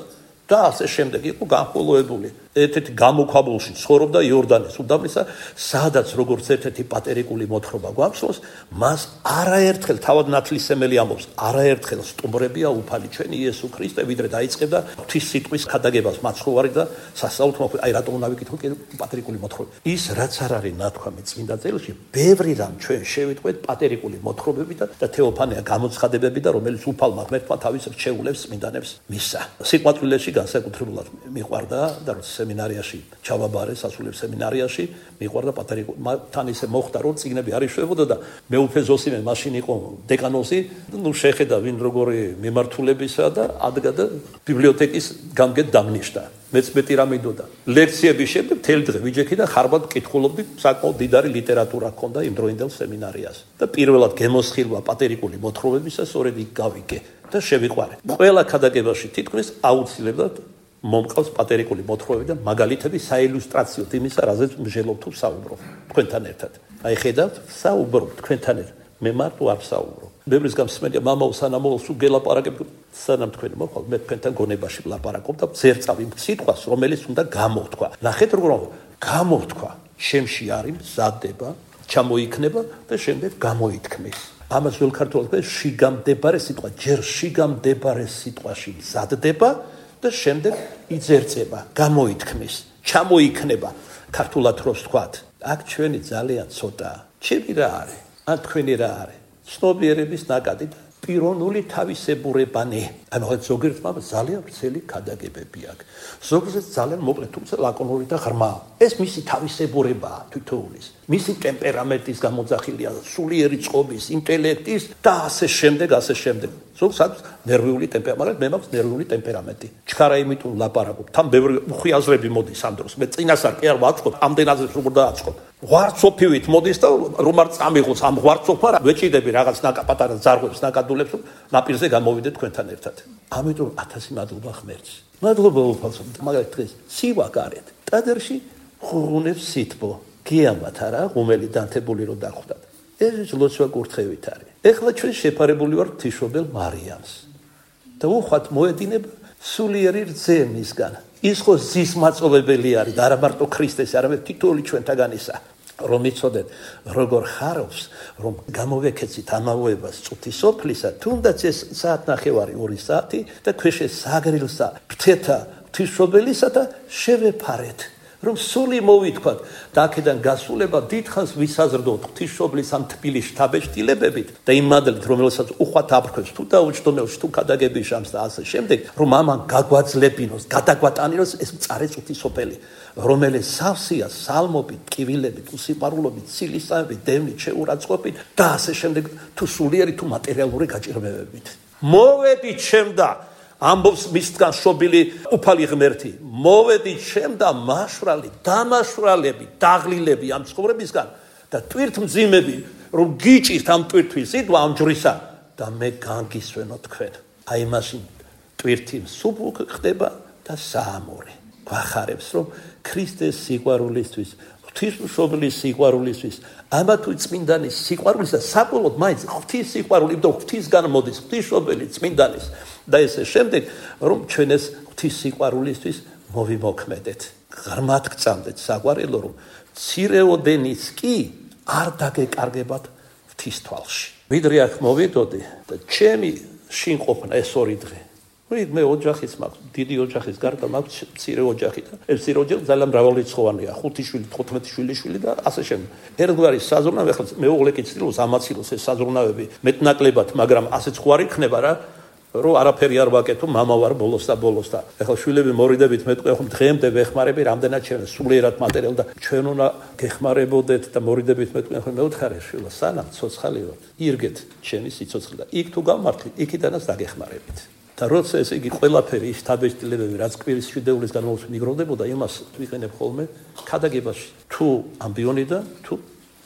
და ასე შემდეგ იყო განხოლოებული. ერთ-ერთი გამოქვაბულში ცხოვრობდა იორდანეს უდაბნოსა, სადაც როგორც ერთ-ერთი პატერიკული მოთხრობა გვახსოვს, მას არაერთხელ თავად ნათლისმცემელი ამბობს, არაერთხელ სტუმრებია უფალი ჩვენი იესო ქრისტე, ვიდრე დაიწყებდა ღვთის სიტყვის ქადაგებას მაცხოვარი და სასწაულთ მოხვდა. აი რატომ უნდა ვიკითხო პატერიკული მოთხრობა. ის რაც არ არის ნათქვამი წმინდა წერილში, ბევრი რამ ჩვენ შევიტყვეთ პატერიკული მოთხრობებიდან და თეოფანია გამოცხადებები და რომელიც უფალმა ღმერთმა თავის რჩეულებს წმინდანებს მისცა. სიყვარულეში განსაკუთრებულად მიყვარდა და სემინარიაში ჩავაბარე სასულიერო სემინარიაში მიყვარდა პატერიკული თან ისე მოხდა რომ წიგნები არ იშვებოდა და მეუფე ზოსიმე მაშინ იყო დეკანოზი ნუ შეხედა ვინ როგორი მიმართულებისა და ადგა და ბიბლიოთეკის გამგედ დამნიშნა მეც მეტი რამე იდოდა ლექციების შემდეგ თელ დღე ვიჯექი და ხარბად კითხულობდი საკმაოდ დიდარი ლიტერატურა ჰქონდა იმ დროინდელ სემინარიას და პირველად გემოსხილვა პატერიკული მოთხრობებისა სწორედ იქ გავიგე და შევიყვარე ყველა ქადაგებაში თითქმის აუცილებლად მომყავს პატერიკული მოთხრობები და მაგალითები საილუსტრაციოდ იმისა, რაზეც მსჯელობ თუ საუბრობ თქვენთან ერთად. აი ხედავთ, საუბრობ თქვენთან ერთად. მე მარტო არ საუბრობ. ბევრის გამსმენია მამაო სანამო სულ გელაპარაკებ სანამ თქვენ მოხვალ მე თქვენთან გონებაში ვლაპარაკობ და ზერწავ იმ სიტყვას, რომელიც უნდა გამოთქვა. ნახეთ როგორ გამოთქვა. შემში არის მზადება, ჩამოიქნება და შემდეგ გამოითქმის. ამას ველქართულად ქვია შიგამდებარე სიტყვა, ჯერ შიგამდებარე სიტყვაში მზადდება და შემდეგ იძერწება, გამოითქმის, ჩამოიქნება, ქართულად როს თქვათ. აქ ჩვენი ძალიან ცოტაა. ჩემი რა არის? ან თქვენი რა არის? ცნობიერების ნაკადი და პიროვნული თავისებურებანი. ანუ ზოგიერთმა ძალიან ვრცელი ქადაგებები აქვს. ზოგიერთს ძალიან მოკლე, თუმცა ლაკონური და ღრმა. ეს მისი თავისებურებაა თითოეულის. მისი ტემპერამენტის გამოძახილია, სულიერი წყობის, ინტელექტის და ასე შემდეგ. ზოგს აქვს ნერვიული ტემპერამენტი, მე მაქვს ნერვიული ტემპერამენტი. ჩქარა იმიტომ ლაპარაკობ. თან ბევრი უხიაზრები მოდის ამ დროს. მე წინასწარ კი არ ვაწყობ, ამდენად როგორ დააწყობ. ღვარცოფივით მოდის და რომ არ წამიღოს ამ ღვარცოფა, ვეჭიდები რაღაც პატარა ზარღვებს, ნაკადულებს, ნაპირზე გამოვიდეთ თქვენთან ერთად. ამიტომ 1000 მადლობა ღმერთს. მადლობა უფალს, მაგალითად დღეს სივა გარეთ. ტაძარში ხუღუნებს სითბო გიამათ არა ღუმელი დანთებული რომ დახვდათ ეს ლოცვა კურთხევით არის ეხლა ჩვენ შეფარებული ვართ ღვთისმშობელ მარიამს და უხვად მოედინება სულიერი რძე მისგან ის ხო ზის მაწოვებელი არის და არა მარტო ქრისტეს არამედ თითოეული ჩვენთაგანისა რომ იცოდეთ როგორ ხარობს რომ გამოვეკეცით ამავოებას წუთისოფლისა თუნდაც ეს საათნახევარი 2 საათი და ქვეშე საგრილსა ფრთეთა ღვთისმშობელისა და შევეფარეთ რომ სული მოვითქვათ და აქედან გასულება დიდხანს ვისაზრდოთ ღვთისმშობლის ამ თბილი შთაბეჭდილებებით და იმ მადლით რომელსაც უხვად აფრქვევს თუ დაუჯდომელს თუ ქადაგების ჟამს და ასე შემდეგ რომ ამან გაგვაძლებინოს გადაგვატანილოს ეს მწარე ღვთისმშობელი რომელიც სავსეა სალმობით ტკივილებით უსიყვარულობით ცილისწამებით დევნით შეურაცხყოფით და ასე შემდეგ თუ სულიერი თუ მატერიალური გაჭირვებებით მოვედით შემდა ამბობს მისგან შობილი უფალი ღმერთი მოვედით შემდა მაშვრალი დამაშვრალები დაღლილები ამ ცხოვრებისგან და ტვირთმძიმები რომ გიჭირთ ამ ტვირთვის სიტყვა ამ ჯვრისა და მე განგისვენო თქვენ აი მაშინ ტვირთი მსუბუქ ხდება და საამორი გვახარებს რომ ქრისტეს სიყვარულისთვის ღვთისმშობლის სიყვარულისთვის ამა თუ წმინდანის სიყვარულის და საბოლოოდ მაინც ღვთის სიყვარული და ღვთისგან მოდის ღვთისმშობელი წმინდანის და ესე შემდეგ რომ ჩვენ ეს ღვთის სიყვარულისთვის მოვიმოქმედეთ ღრმად გწამდეთ საყვარელო რომ მცირეოდენიც კი არ დაგეკარგებათ ღვთის თვალში ვიდრე აქ მოვიდოდი და ჩემი შინყოფნა ეს 2 დღე მე ოჯახიც მაქვს დიდი ოჯახის გარდა მაქვს მცირე ოჯახი და ეს მცირე ოჯახი ძალიან მრავალრიცხოვანია 5 შვილი 15 შვილიშვილი და ასე შემდეგ ერთგვარი საზრუნავი ახლა მეუღლე კი ცდილობს ამაცილოს ეს საზრუნავები მეტნაკლებად მაგრამ ასეც ხო არ იქნება რა რომ არაფერი არ ვაკეთო მამა ვარ ბოლოს და ახლა შვილები მორიდებით მეტყვი ხო დღემდე ვეხმარები რამდენად ჩვენ სულიერად მატერიალ და ჩვენ უნდა გეხმარებოდეთ და მორიდებით მეტყვი ხო მეუთხარე შვილო სანამ ცოცხალი ვარ ირგეთ ჩემი სიცოცხლე და იქ თუ გამართლით იქიდანაც დაგეხმარებით და როცა ეს იგი ყველაფერი ის თაბეჭდილებები რაც კვირის შვიდეულის განმავლობაში მიგროვდებოდა იმას ვიყენებ ხოლმე ქადაგებაში თუ ამბიონიდან თუ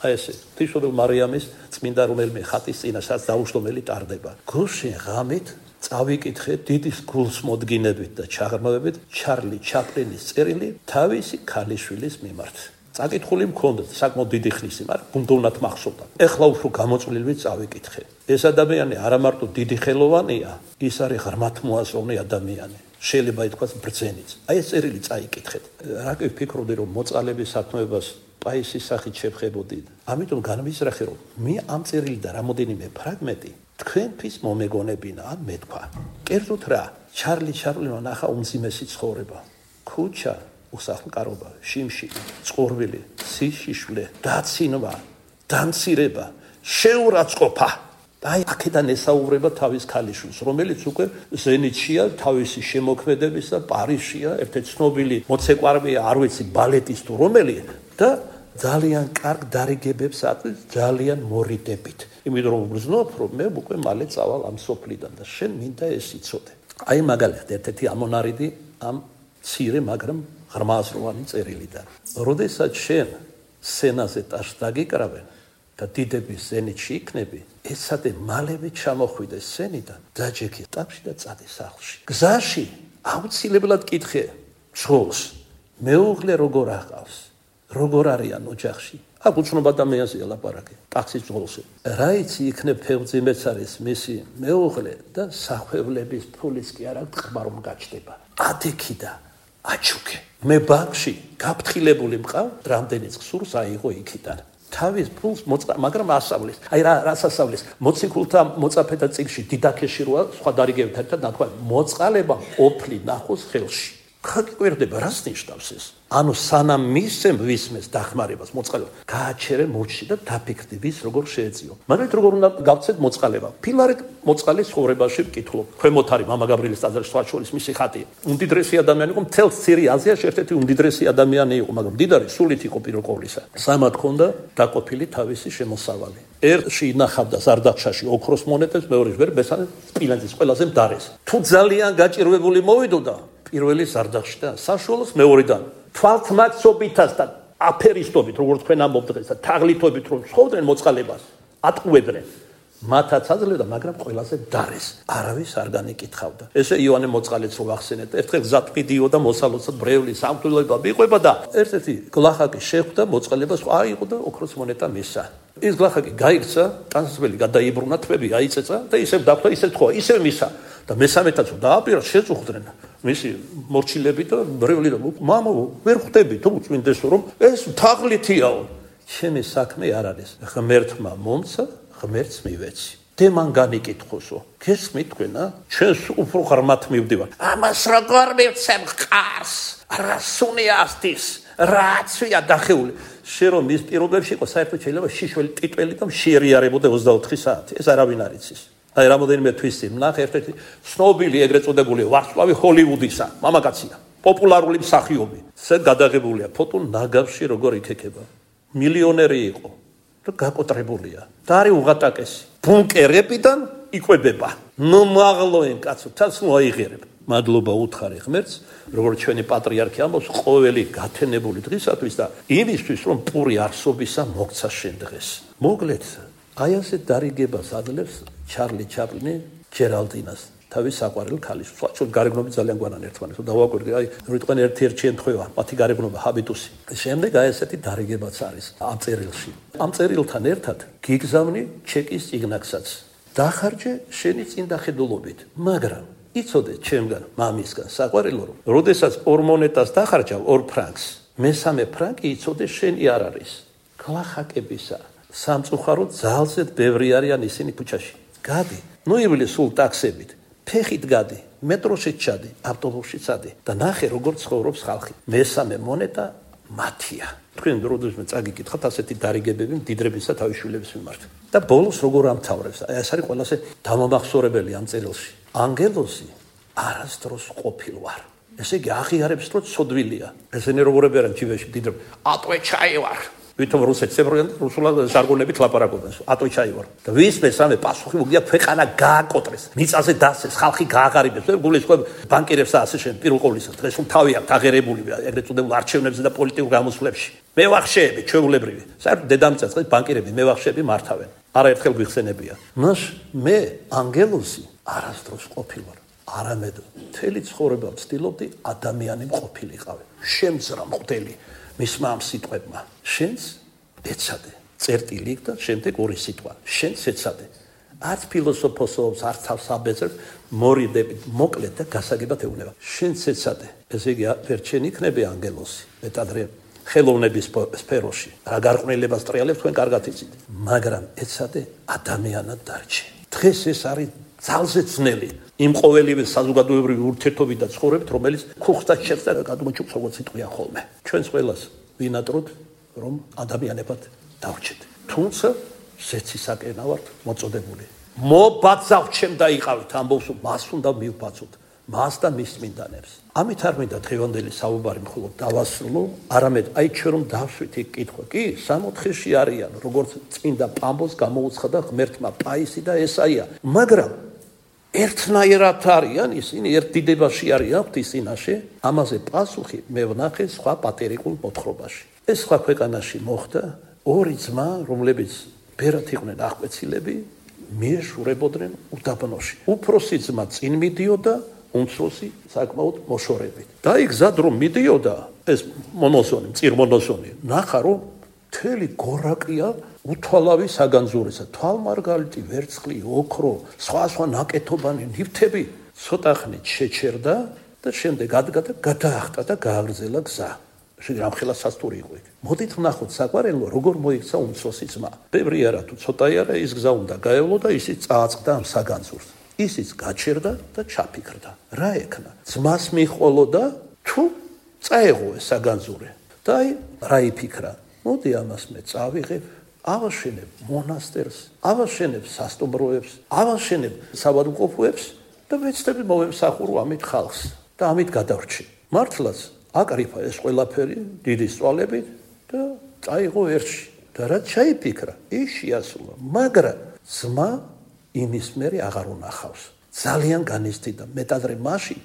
აი ესე ღვთისმშობელ მარიამის წმინდა რომელიმე ხატის წინასაც დაუჯდომელი ტარდება გუშინ ღამით წავიკითხე დიდის გულსმოდგინებით და ჩაღრმავებით ჩარლი ჩაპლინის წერილი თავისი ქალიშვილის მიმართ წაკითხული მქონდა საკმაოდ დიდი ხნისი მაგრამ ბუნდოვნად მახსოვდა ეხლა უფრო გამოწვლილი წავიკითხე ეს ადამიანი არა მარტო დიდი ხელოვანია ის არის ღრმად მოაზროვნე ადამიანი შეიძლება ითქვას ბრძენიც აი ეს წერილი წაიკითხეთ რა კი ვფიქრობდი რომ მოწყალების საქმეებას პაისის სახით შევხებოდი ამიტომ განვიზრახე რომ მე ამ წერილიდან რამოდენიმე ფრაგმენტი თქვენთვის მომეგონებინა ან მეთქვა კერძოდ რა ჩარლი ჩაპლინმა ნახა უმძიმესი ცხოვრება ქუჩა უსახლკარობა შიმში წყურვილი სიშიშვლე დაცინვა დამცირება შეურაცხყოფა აი აქედან ესაუბრება თავის ქალიშვილს რომელიც უკვე ზენიტშია თავისი შემოქმედების და პარიზშია ერთ-ერთი ცნობილი მოცეკვავია არ ვიცი ბალეტის თუ რომელი და ძალიან კარგ დარიგებებს აწვის ძალიან მორიდებით იმიტომ რომ ვგრძნობ რომ მე უკვე მალე წავალ ამ სოფლიდან და შენ მინდა ეს იცოდე აი მაგალითად ერთ-ერთი ამონარიდი ამ ცირე მაგრამ ღრმააზროვანი წერილიდან როდესაც შენ სენაზე ტაშს დაგიკრავენ და დიდების ზენიტში იქნები ესადე მალევე ჩამოხვიდეს სენიდან დაჯექი ტაფში და წადი სახლში გზაში აუცილებლად კითხე ძღოლს მეუღლე როგორ აყავს როგორ არიან ოჯახში აქ უცნობ ადამიანზეა ლაპარაკი ტაქსის ძღოლზე რა იცი იქნებ ფეხბურთის არის მისი მეუღლე და სახვევლების ფულის კი არა ყბა რომ გაჩდება ადექი და აჩუქე მე ბანკში გაფრთხილებული მყავ რამდენიც ხსურს აიღო იქიდან თავის ფულს მაგრამ ასავლის აი რა ასავლის მოციქულთა მოწაფეთა წიგნში დიდაქეში როა სხვა დარიგებით ერთად ნათქვა მოწყალება ოფლი ნახოს ხელში ხაკიკვირდება რას ნიშნავს ეს ანუ სანამ მისცემ ვისმეს დახმარებას მოწყალება გააჩერე მუჩში და დაფიქრდი ვის როგორ შეეწიო მაგრამ როგორ უნდა გავცეთ მოწყალება ფილარეთ მოწყალის ცხოვრებაში ვკითხულობ ქვემოთ არის მამა გაბრიელის ტაძარში სხვა შორის მისი ხატი უმდიდრესი ადამიანი იყო მთელ ცირე აზიაში ერთ-ერთი უმდიდრესი ადამიანი იყო მაგრამ მდიდარი სულით იყო პირველ ყოვლისა სამად ქონდა დაყოფილი თავისი შემოსავალი ერთში ინახავდა ზარდახშაში ოქროს მონეტებს მეორეში ვერ ბესანი სპილენძის ყველაზე მდარეს თუ ძალიან გაჭირვებული მოვიდოდა პირველი ზარდახში და საშუალოს მეორედან თვალთმაცობითაც და აფერისტობით როგორც თქვენ ამბობთ დღეს და თაღლითობით რომ ცხოვრდნენ მოწყალებას ატყუებდნენ მათაც აძლევდა, მაგრამ ყველაზე დარეს. არავის არ განეკითხავდა. ესე იოანე მოწყალეც რო ახსენეთ, ერთხელ გზად მიდიოდა მოსალოცად ბრევლის სამღვდელოება მიყვება და ერთ-ერთი გლახაკი შეხვდა მოწყალებას, აიღო და ოქროს მონეტა მისცა. ის გლახაკი გაიქცა, ტანსაცმელი გადაიბრუნა, თვები აიწეცა და ისევ დაფთა, ისევ თქვა, ისევ მისცა. და მესამეთაც დააპირა შეწუხდნენ მისი მორჩილები და ბრევლი და მამო ვერ ხვდები თუ წმინდესო რომ ეს თაღლითიაო. ჩემი საქმე არ არის. ღმერთმა მომცა, ღმერთს მივეცი. დემან განიკითხოსო. გესმით თქვენა? ჩვენს უფრო ღრმად მივდივარ. ამას როგორ მივცემ ყარს? რასუნი ასდის? რაცია დახეული? შენ რომ მის პირობებში იყო საერთოდ შეიძლება შიშველი ტიტველი და შეიარებოდა 24 საათი. ეს არავინ არ იცის. აი რამოდენიმე თვის წინ ნახე ერთ-ერთი ცნობილი ეგრეთ წოდებული ვარსკვლავი ჰოლივუდისა, მამაკაცია, პოპულარული მსახიობი. ეს გადაღებულია ფოტო ნაგავში როგორ იქეკება. მილიონერი იყო და გაკოტრებულია. და არის უღატაკესი. ბუნკერებიდან იკვებება. ნუ მაღლოენ კაცო, თავს მოაიღერებ. მადლობა უთხარი ღმერთს, როგორც ჩვენი პატრიარქი ამბობს, ყოველი გათენებული დღისათვის და იმისთვის, რომ პური არსობისა მოგცა შენ დღეს. მოკლედ, აი ასე დარიგებას ადლებს ჩარლი ჩაპლინი ჯერალდინას, თავის საყვარელ ქალის. სულ გარეგნობით ძალიან გვანან ერთმანეთს დავაკვირდი, აი რიტყვენ ერთ-ერთ შემთხვევა, მათი გარეგნობა ჰაბიტუსი. შემდეგ აი ესეთი დარიგებაც არის ამ წერილში. ამ წერილთან ერთად გიგზავნი ჩეკის წიგნაკსაც. დახარჯე შენი წინდახედულობით, მაგრამ იცოდე ჩემგან, მამისგან საყვარელო, რომ როდესაც 2 მონეტას დახარჯავ 2 ფრანკს, მესამე ფრანკი იცოდე შენი არ არის. გლახაკებისა სამწუხაროდ ძალზე ბევრი არიან ისინი ქუჩაში. გადი, ნუ ივლი სულ ტაქსებით, ფეხით გადი, მეტროში ჩადი, ავტობუსში წადი და ნახე როგორ ცხოვრობს ხალხი. მესამე მონეტა მათია. თქვენ როდესმე წაგიკითხათ ასეთი დარიგებები მდიდრებისა თავისშვილების მიმართ. და ბოლოს როგორ ამთავრებს? აი ეს არის ყველაზე დამამახსოვრებელი ამ წერილში. ანგელოზი არასდროს ყოფილ ვარ. ესე იგი აღიარებს, რომ ცოდვილია. ესენი როგორები არიან ჯივეში მდიდრები. ატვე ჩაი ვარ. ვითომ რუსეთს ებროიან რუსულად ჟარგონებით ლაპარაკობენ. ატვე ჩაი ვარ. და ვის მესამე პასუხი მოგია ქვეყანა გააკოტრეს. მიწაზე დასეს, ხალხი გააღარიბებს. გულისხმობ ბანკირებს და ასე შემდეგ. პირველ ყოვლისა დღეს რომ თავი აქვს აღერებული ეგრეთ წოდებულ არჩევნებზე და პოლიტიკურ გამოსვლებში. მევახშეები, ჩვეულებრივი. საერთოდ დედამიწას დღეს ბანკირები მევახშეები მართავენ. არაერთხელ გვიხსენებია. მას მე ანგელოზი არასდროს ყოფილ ვარ. არამედ მთელი ცხოვრება ვცდილობდი ადამიანი მყოფილიყავი. შემძრა მღვდელი მისმა ამ სიტყვებმა. შენს ეცადე. წერტილი და შემდეგ ორი სიტყვა. შენს ეცადე. არც ფილოსოფოსობს, არც თავს აბეძებს, მორიდებით, მოკლედ და გასაგებად ეუბნება. შენს ეცადე. ესე იგი ვერ შენ იქნები ანგელოზი. მეტადრე ხელოვნების სფეროში. რა გარყვნილებას ტრიალებს თქვენ კარგად იცით. მაგრამ ეცადე ადამიანად დარჩე. დღეს ეს არის ძალზე ძნელი იმ ყოველივე საზოგადოებრივი ურთიერთობით და ცხოვრებით, რომელიც ქუხთა შეცდა და გადმოჭუქს როგორც სიტყვია ხოლმე. ჩვენს ყველას ვინატროთ, რომ ადამიანებად დავრჩეთ. თუმცა ზეცისაკენა ვართ მოწოდებული. მობაცავთ ჩემ დაიყავით ამბობს, მას უნდა მივბაცოთ. მას და მის წმინდანებს. ამით არ მინდა დღევანდელი საუბარი მხოლოდ დავასრულო, არამედ აი ჩვენ რომ დავშვით იქ კითხვა. კი, 64-ში არიან, როგორც წმინდა პამბოს გამოუცხადა ღმერთმა პაისი და ესაია, მაგრამ ერთნაირად არიან ისინი, ერთ დიდებაში არიან ღვთისწინაშე, ამაზე პასუხი მე ვნახე სხვა პატერიკულ მოთხრობაში. ეს სხვა ქვეყანაში მოხდა, 2 ძმა, რომლებიც ბერად იყვნენ აღკვეცილები, მიეშურებოდნენ უდაბნოში. უფროსი ძმა წინ მიდიოდა, უმცროსი საკმაოდ მოშორებით. და იქ გზად რომ მიდიოდა ეს მონოსონი, მწირმონოსონი, ნახა რომ მთელი გორაკია უთვალავი საგანძურისა, თვალმარგალიტი, ვერცხლი, ოქრო, სხვა ნაკეთობანი, ნივთები ცოტა ხნით შეჩერდა და შემდეგ ადგა და გადაახტა და გააგრძელა გზა. რამხელა სასტური იყო იქ. მოდით ვნახოთ საყვარელო, როგორ მოიქცა უმცროსი ძმა. ბევრი არა თუ ცოტაი არა, ის გზა უნდა გაევლო და ისიც წააწყდა ამ საგანძურს. ისიც გაჩერდა და ჩაფიქრდა. რა ეკნა? ძმას მიჰყოლოდა თუ წაეღო ეს საგანძური. და აი რა იფიქრა? მოდი ამას მე წავიღებ, ავაშენებ მონასტერს, ავაშენებ სასტუმროებს, ავაშენებ საბადმყოფოებს და მეცნები მოვემსახურო ამით ხალხს და ამით გადავრჩი. მართლაც აკრიფა ეს ყველაფერი დიდი სწვალებით და წაიღო ერთში. და რა ჩაიფიქრა? ის შეასრულა, მაგრამ ძმა იმის მერე აღარ უნახავს. ძალიან განიცდიდა მეტადრე მაშინ,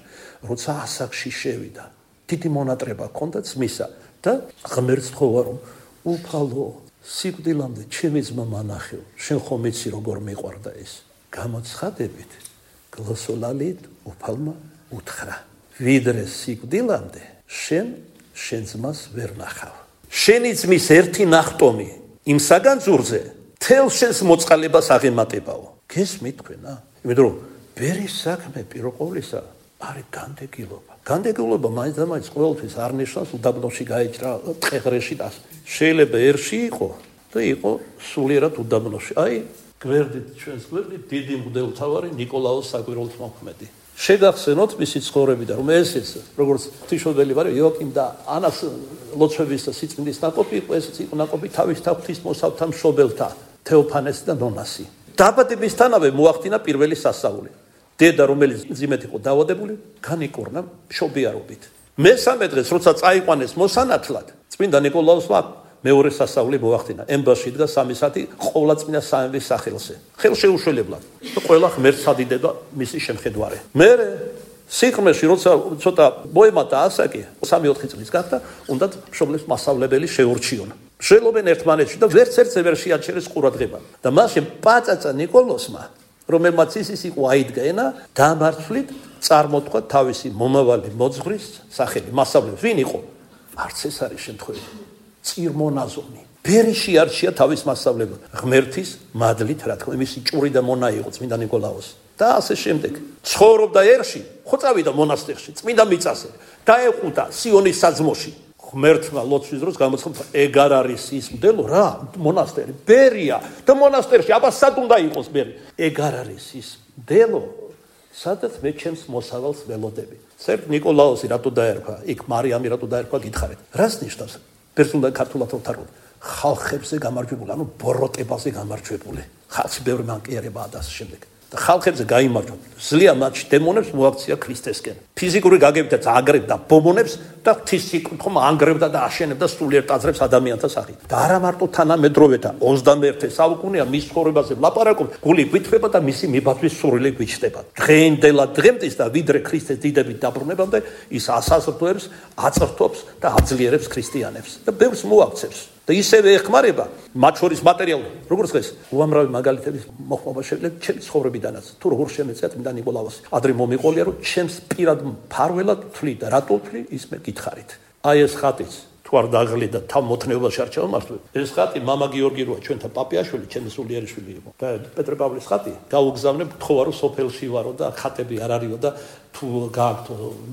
როცა ასაკში შევიდა. დიდი მონატრება ჰქონდა ძმისა და ღმერთს თხოვა რომ უფალო, სიკვდილამდე ჩემი ძმა მანახევ, შენ ხომ იცი როგორ მიყვარდა ეს. გამოცხადებით გლოსოლალით უფალმა უთხრა. ვიდრე სიკვდილამდე შენ ძმას ვერ ნახავ. შენი ძმის ერთი ნახტომი იმ საგანძურზე თელ შენს მოწყალებას აღემატებაო. გესმით თქვენა? იმიტომ რომ ბერის საქმე პირველ ყოვლისა არის განდეგილობა. განდეგილობა მაინც და მაინც ყოველთვის არ ნიშნავს უდაბნოში გაიჭრა ტყეღრეში და შეიძლება ერში იყო და იყო სულიერად უდაბნოში. აი გვერდით ჩვენს გვერდით დიდი მღვდელმთავარი ნიკოლაოს საკვირველთმოქმედი. შეგახსენოთ მისი ცხოვრებიდან რომ ესეც როგორც ღვთისმშობელი ვარ იოაკიმ და ანას ლოცვების და სიწმინდის ნაკოპი იყო ესეც იყო ნაკოპი თავის ღვთისმოსავთა მშობელთა თეოფანეს და ნონასი. დაბადებისთანავე მოახდინა პირველი სასწაული. დედა რომელიც ძიმეთ იყო დაავადებული განიკურნა მშობიარობით. მესამე დღეს როცა წაიყვანეს მოსანათლად წმინდა ნიკოლაოსმა მეორე სასწაული მოახდინა. ემბაში დგა 3 საათი ყოვლადწმინდა სამების სახელზე. ხელშეუშველებლად და ყველა ღმერთს ადიდება მისი შემხედვარე. მე სიყრმეში როცა ცოტა მოემატა ასაკი 3-4 წლის გახდა უნდა მშობლებს მასწავლებელი შეურჩიონ. შელობენ ერთმანეთში და ვერც ვერ შეაჩერეს ყურადღება. და მაშინ პაწაწა ნიკოლოსმა რომელმაც ის იყო აიდგა ენა დამართლით წარმოთქვა თავისი მომავალი მოძღვრის სახელი მასწავლებელი. ვინ იყო? არც ეს არის შემთხვევა. წირმონაზონი. ბერიში არჩია თავის მასწავლებლად. ღმერთის მადლით რა თქმა უნდა მისი ჭური და მონა იყო წმინდა ნიკოლაოს. და ასე შემდეგ. ცხოვრობდა ერში, ხო წავიდა მონასტერში, წმინდა მიწაზე. დაეყუდა სიონის საძმოში. ღმერთმა ლოცვის დროს გამოცხადა ეგარ არის ის მდელო რა მონასტერი ბერია და მონასტერში აბა სად უნდა იყოს ბერი ეგარ არის ის მდელო სადაც მე ჩემს მოსავალს ველოდები ცერტ ნიკოლაოსი რატო დაერქვა იქ მარიამი რატო დაერქვა გითხარით რას ნიშნავს პერსონალ ქართულად ვთაროთ ხალხებზე გამარჯვებული ანუ ბოროტებაზე გამარჯვებული ხალხი ბევრი მანკიერებაა და ასე შემდეგ და ხალხებზე გაიმარჯვა ზლია მათში დემონებს მოაქცია ქრისტესკენ ფიზიკური გაგებითაც აგრებდა ბომონებს და ღვთის სიკრთხომ ანგრევდა და აშენებდა სულიერ ტაძრებს ადამიანთა სახით და არა მარტო თანამედროვეთა 21 საუკუნეა მის ცხოვრებაზე ვლაპარაკობ გული გვითხრება და მისი მიბაძვის სურვილი გვიჩნდება დღეინდელად დღემდის და ვიდრე ქრისტეს დიდებით დაბრუნებამდე ის ასაზრდოებს აწრთობს და აძლიერებს ქრისტიანებს და ბევრს მოაქცევს და ისევე ეხმარება მათ შორის მატერიალურად როგორც დღეს უამრავი მაგალითების მოხმობა შეიძლება ჩემი ცხოვრებიდანაც თუ როგორ შემეწია წმინდა ნიკოლაოსი ადრე მომიყოლია რომ ჩემს პირად მფარველად ვთვლი და რატო ვთვლი ის მე გითხარით აი ეს ხატიც თუ არ დაღლიდა თავ მოთნეობაში არ ჩავმართვე ეს ხატი მამა გიორგი როა ჩვენთან პაპიაშვილი ჩემი სულიერიშვილი იყო და პეტრე პავლეს ხატი გაუგზავნებ თქვა რომ სოფელში ვარო და ხატები არ არისო და თუ გააქვთ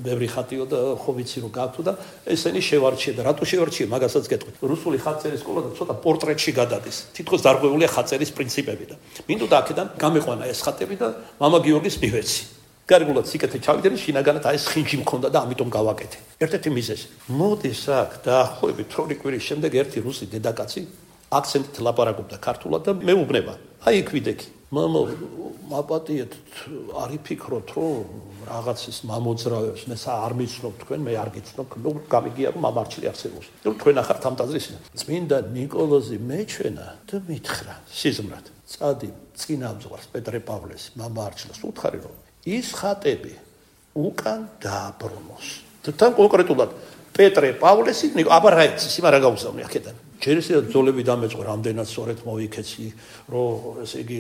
ბევრი ხატიო და ხო ვიცი რომ გააქვთ და ესენი შევარჩიე და რატო შევარჩიე მაგასაც გეტყვით რუსული ხატწერის სკოლა და ცოტა პორტრეტში გადადის თითქოს დარღვეულია ხატწერის პრინციპები და მინდოდა აქედან გამეყვანა ეს ხატები და მამა გიორგის მივეცი გარეგულად სიკეთე ჩავიდე შინაგანად აი ეს ხინჯი მქონდა და ამიტომ გავაკეთე ერთ-ერთი მიზეზი მოდის აქ დაახლოებით 8 კვირის შემდეგ ერთი რუსი დედაკაცი აქცენტით ლაპარაკობდა ქართულად და მეუბნება აი იქ ვიდექი მამა მაპატიეთ არ იფიქროთ რომ რაღაცის მამოძრავებს მე არ მიცნობ თქვენ მე არ გიცნობ ნუ გამიგია რომ მამარჩილი არსებობს ნუ თქვენ ახართ ამ ტაძრის წმინდა ნიკოლოზი მეჩვენა და მითხრა სიზმრად წადი წინამძღვარს პეტრე პავლეს მამარჩილს უთხარი რომ ის ხატები უკან დააბრუნოს თან კონკრეტულად პეტრე პავლესი აბა რა იცის იმ არა გაუგზავნე აქედან ჯერ ისე ძოლები დამეწყო რამდენად სწორედ მოვიქეცი რომ ესე იგი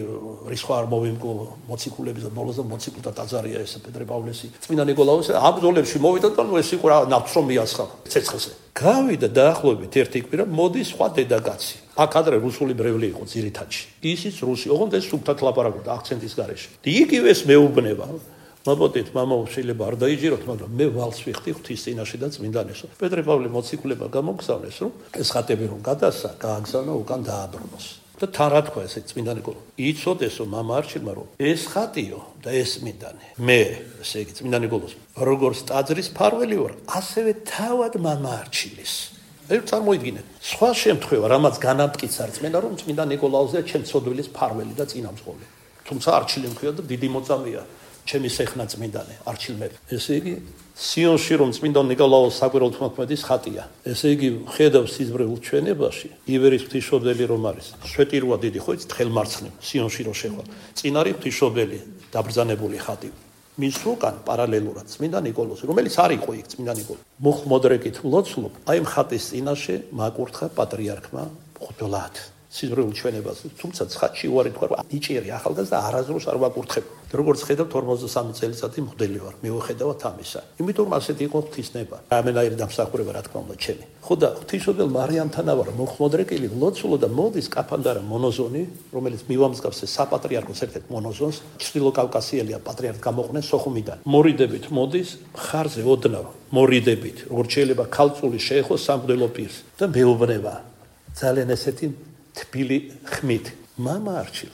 რისხვა არ მოვიმკო მოციქულების და ბოლოს და მოციქულთა ტაძარია ეს პეტრე პავლესი წმინდა ნიკოლაოსი ამ ძოლებში მოვიდა და ნუ ეს იყო რა ნავთს რომ მიასხა ცეცხლზე გავიდა დაახლოებით ერთი კვირა მოდის სხვა დედაკაცი აქ ადრე რუსული ბრევლი იყო ძირითადში ისიც რუსი ოღონდ ეს სუბთად ლაპარაკობდა აქცენტის გარეშე იგივეს მეუბნება მაბოდით მამა შეიძლება არ დაიჯეროთ მაგრამ მე ვალს ვიხდი ღვთის წინაშე და წმინდანესო პეტრე პავლე მოციქულება გამოგზავნეს რომ ეს ხატები რომ გადასცა გააგზავნა უკან დააბრუნოს და თან რა თქვა ესე წმინდა ნიკოლო იცოდესო მამა არჩილმა რომ ეს ხატიო და ეს წმინდანი მე ესე იგი წმინდა ნიკოლოს როგორც ტაძრის მფარველი ვარ ასევე თავად მამა არჩილის ერთ წარმოიდგინეთ სხვა შემთხვევა რამაც განამტკიცა რწმენა რომ წმინდა ნიკოლაოზია ჩემ ცოდვილის მფარველი და წინამძღოლი თუმცა არჩილი მქვია და დიდი მოწამეა ჩემი სეხნა წმინდანი არჩილმები ესე იგი სიონში რომ წმინდა ნიკოლაოს საკვირველთმოქმედის ხატია ესე იგი ხედავს სიზმრებულ ჩვენებაში ივერის ღვთისმშობელი რომ არის შვეტიროა დიდი ხო იცით ხელმარცხნივ სიონში რომ შეხვა წინ არის ღვთისმშობელი დაბრძანებული ხატი მის უკან პარალელურად წმინდა ნიკოლოზი რომელიც არ იყო იქ წმინდა ნიკოლოზი მუხმოდრეკით ლოცულობ აი ამ ხატის წინაშე მაკურთხა პატრიარქმა ხუდლად სიზმრიულ ჩვენებას, თუმცა ცხადში უარი თქვა, ნიჭიერი ახალგაზრდა არასდროს არ ვაკურთხებ. როგორც ხედავთ 43 წელიწადი მღვდელი ვარ, მიუხედავად ამისა. იმიტომ რომ ასეთი იყო ღვთისნება. რამენაირი დამსახურება რა თქმა უნდა ჩემი. ხო და ღვთისმშობელ მარიამთანავარ მოხმოდრეკილი ლოცულო და მოდის კაფანდარა მონოზონი, რომელიც მივამსგავსე საპატრიარქოს ერთ-ერთ მონოზონს, ჩრდილოკავკასიელია პატრიარქ გამოყვნენ სოხუმიდან. მორიდებით მოდის, ხარზე ოდნავ მორიდებით, როგორც შეიძლება ქალწული შეეხო სამღვდელო პირს და მეუბნება. ძალიან ესეთი თბილი ხმით. მამა არჩილ,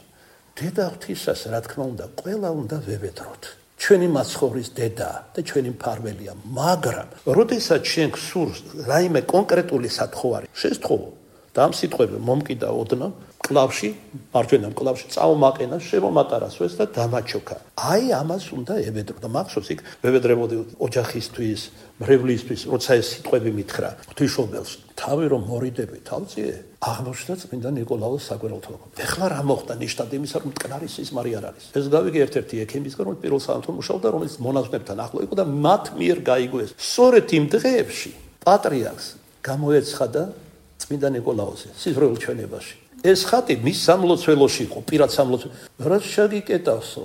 დედა ღვთისას რა თქმა უნდა, ყველა უნდა ვევედროთ. ჩვენი მაცხოვრის დედა და ჩვენი მფარველია, მაგრამ როდესაც შენ გსურს რაიმე კონკრეტული სათხოვარი, შესთხოვო და ამ სიტყვები მომკიდა ოდნავ კლავში, მარჯვენა კლავში წაუმაყენა, შემომატარასვეს და დამაჩოქა. აი ამას უნდა ევედრო და მახსოვს იქ ვევედრებოდი ოჯახისთვის, მრევლისთვის, როცა ეს სიტყვები მითხრა ღვთისმშობელს, თავი რომ მორიდები თავწიე, აღმოჩნდა წმინდა ნიკოლაოს საგვერელთო. ეხლა რა მოხდა ნიშნად იმისა, რომ მტკნარი სიზმარი არ არის. ეს გავიგე ერთ-ერთი ექიმისგან, რომელიც პირველ სამართლად მუშაობდა, რომელიც მონაზვნებთან ახლო იყო და მათ მიერ გაიგოს. სწორედ იმ დღეებში პატრიარქს გამოეცხადა წმინდა ნიკოლაოსი სიზმრიულ ჩვენებაში. ეს ხატი მის სამლოცველოში იყო, პირად სამლოცველოში. რა შეგიკეტავსო?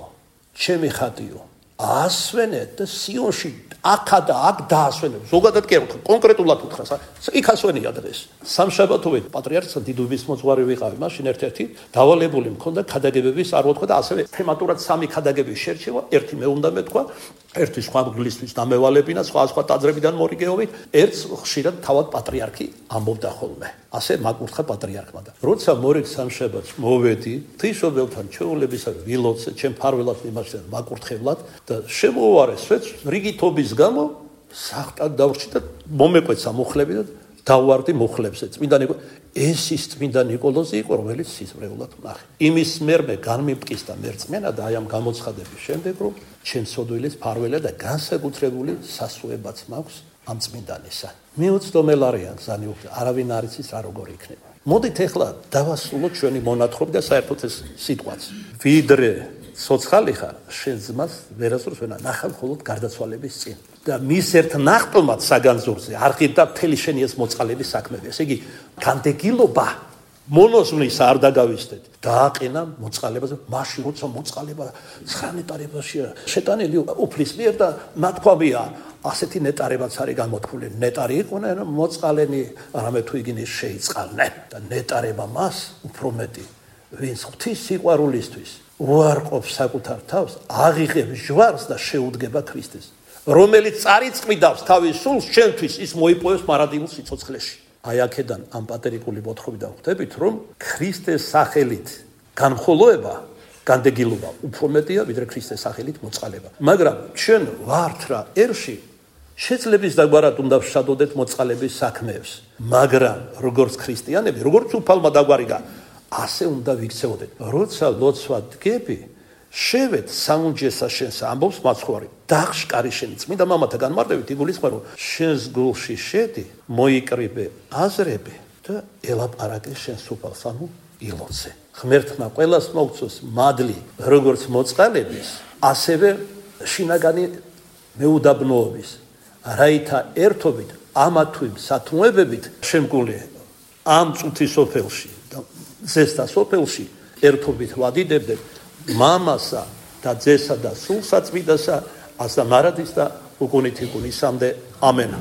ჩემი ხატიო. ასვენეთ და სიონში აქა და აქ დაასვენებ. ზოგადად კი არ ვთქვა, კონკრეტულად ვთქვა. იქ ასვენია დღეს. სამშაბათოვე პატრიარქს დიდუბის მოძღვარი ვიყავი, მაშინ ერთ-ერთი დავალებული მქონდა ქადაგებების არ ვთქვა და ასევე თემატურად სამი ქადაგების შერჩევა, ერთი მე უნდა მეთქვა, ერთი სხვა მგლისთვის დამევალებინა, სხვა ტაძრებიდან მორიგეობით, ერთს ხშირად თავად პატრიარქი ამბობდა ხოლმე. ასე მაკურთხა პატრიარქმა და როცა მორიგ სამშაბათს მოვედი, ღვთისმშობელთან ჩვეულებისა ვილოცე, ჩემ ფარველად მიმართა მაკურთხებლად და შემოვარე სვეტს რიგითობის გამო სახტად დავრჩი და მომეკვეცა მუხლები და დავვარდი მუხლებზე. წმინდა ნიკოლოზი, ეს ის წმინდა ნიკოლოზი იყო, რომელიც სიზმრეულად ვნახე. იმის მერმე განმიმტკისდა მერწმენა და აი ამ გამოცხადების შემდეგ, რომ ჩემ სოდვილის ფარველა და განსაკუთრებული სასუებაც მაქვს ამ წმინდანისა. მიუწდომელ არიან გზანი უკვე, არავინ არ იცის რა როგორი იქნება. მოდით ახლა დავასრულოთ ჩვენი მონათხრობი და საერთოდ ეს სიტყვაც. ვიდრე ცოცხალი ხარ, შენ ძმას ვერასდროს ვერ ნახავ მხოლოდ გარდაცვალების წინ. და მის ერთ ნახტომად საგანძურზე არ ღირდა მთელი შენი ეს მოწყალების საქმეები. ესე იგი, განდეგილობა მონოზვნის არ დაგავისდეთ. დააყენა მოწყალებაზე, მაშინ როცა მოწყალება 9 ნეტარებაშია შეტანილი უფლის მიერ და ნათქვამია, ასეთი ნეტარებაც არის გამოთქმული. ნეტარი იყვნენ მოწყალენი, რამე თუ იგინი შეიწყალნენ და ნეტარება მას უფრო მეტი, ვინც ღვთის სიყვარულისთვის უარყოფს საკუთარ თავს, აღიღებს ჯვარს და შეუდგება ქრისტეს. რომელიც წარიწყვიდავს თავის სულს ჩვენთვის, ის მოიპოვებს მარადილ სიცოცხლეში. აი აქედან ამ პატერიკული მოთხრობიდან ხვდებით, რომ ქრისტეს სახელით განხოლოება, განდეგილობა უფრო მეტია, ვიდრე ქრისტეს სახელით მოწყალება. მაგრამ ჩვენ ვართ რა ერში შეძლების დაგვარად უნდა ვშადოდეთ მოწყალების საქმეებს. მაგრამ როგორც ქრისტიანები, როგორც უფალმა დაგვარიგა, ასე უნდა ვიქცეოდეთ. როცა ლოცვა დგები, შევეთ საუნჯესა შენსა, ამბობს მაცხვარი. დაღშკარი შენი წმინდა მამათა განმარტებით იგულისხმება, რომ შენს გულში შედი, მოიკრიბე აზრები და ელაპარაკე შენს უფალს, ანუ ილოცე. ღმერთმა ყველას მოგცოს მადლი, როგორც მოწყალების, ასევე შინაგანი მეუდაბნოობის. რაითა ერთობით ამა თუ იმ სათმოებებით შემგული ამ წუთის სოფელში და ზესთა სოფელში ერთობით ვადიდებდეთ მამასა და ძესა და სულსა წმინდასა, ასა მარადის და უკუნითიკუნისამდე ამენ.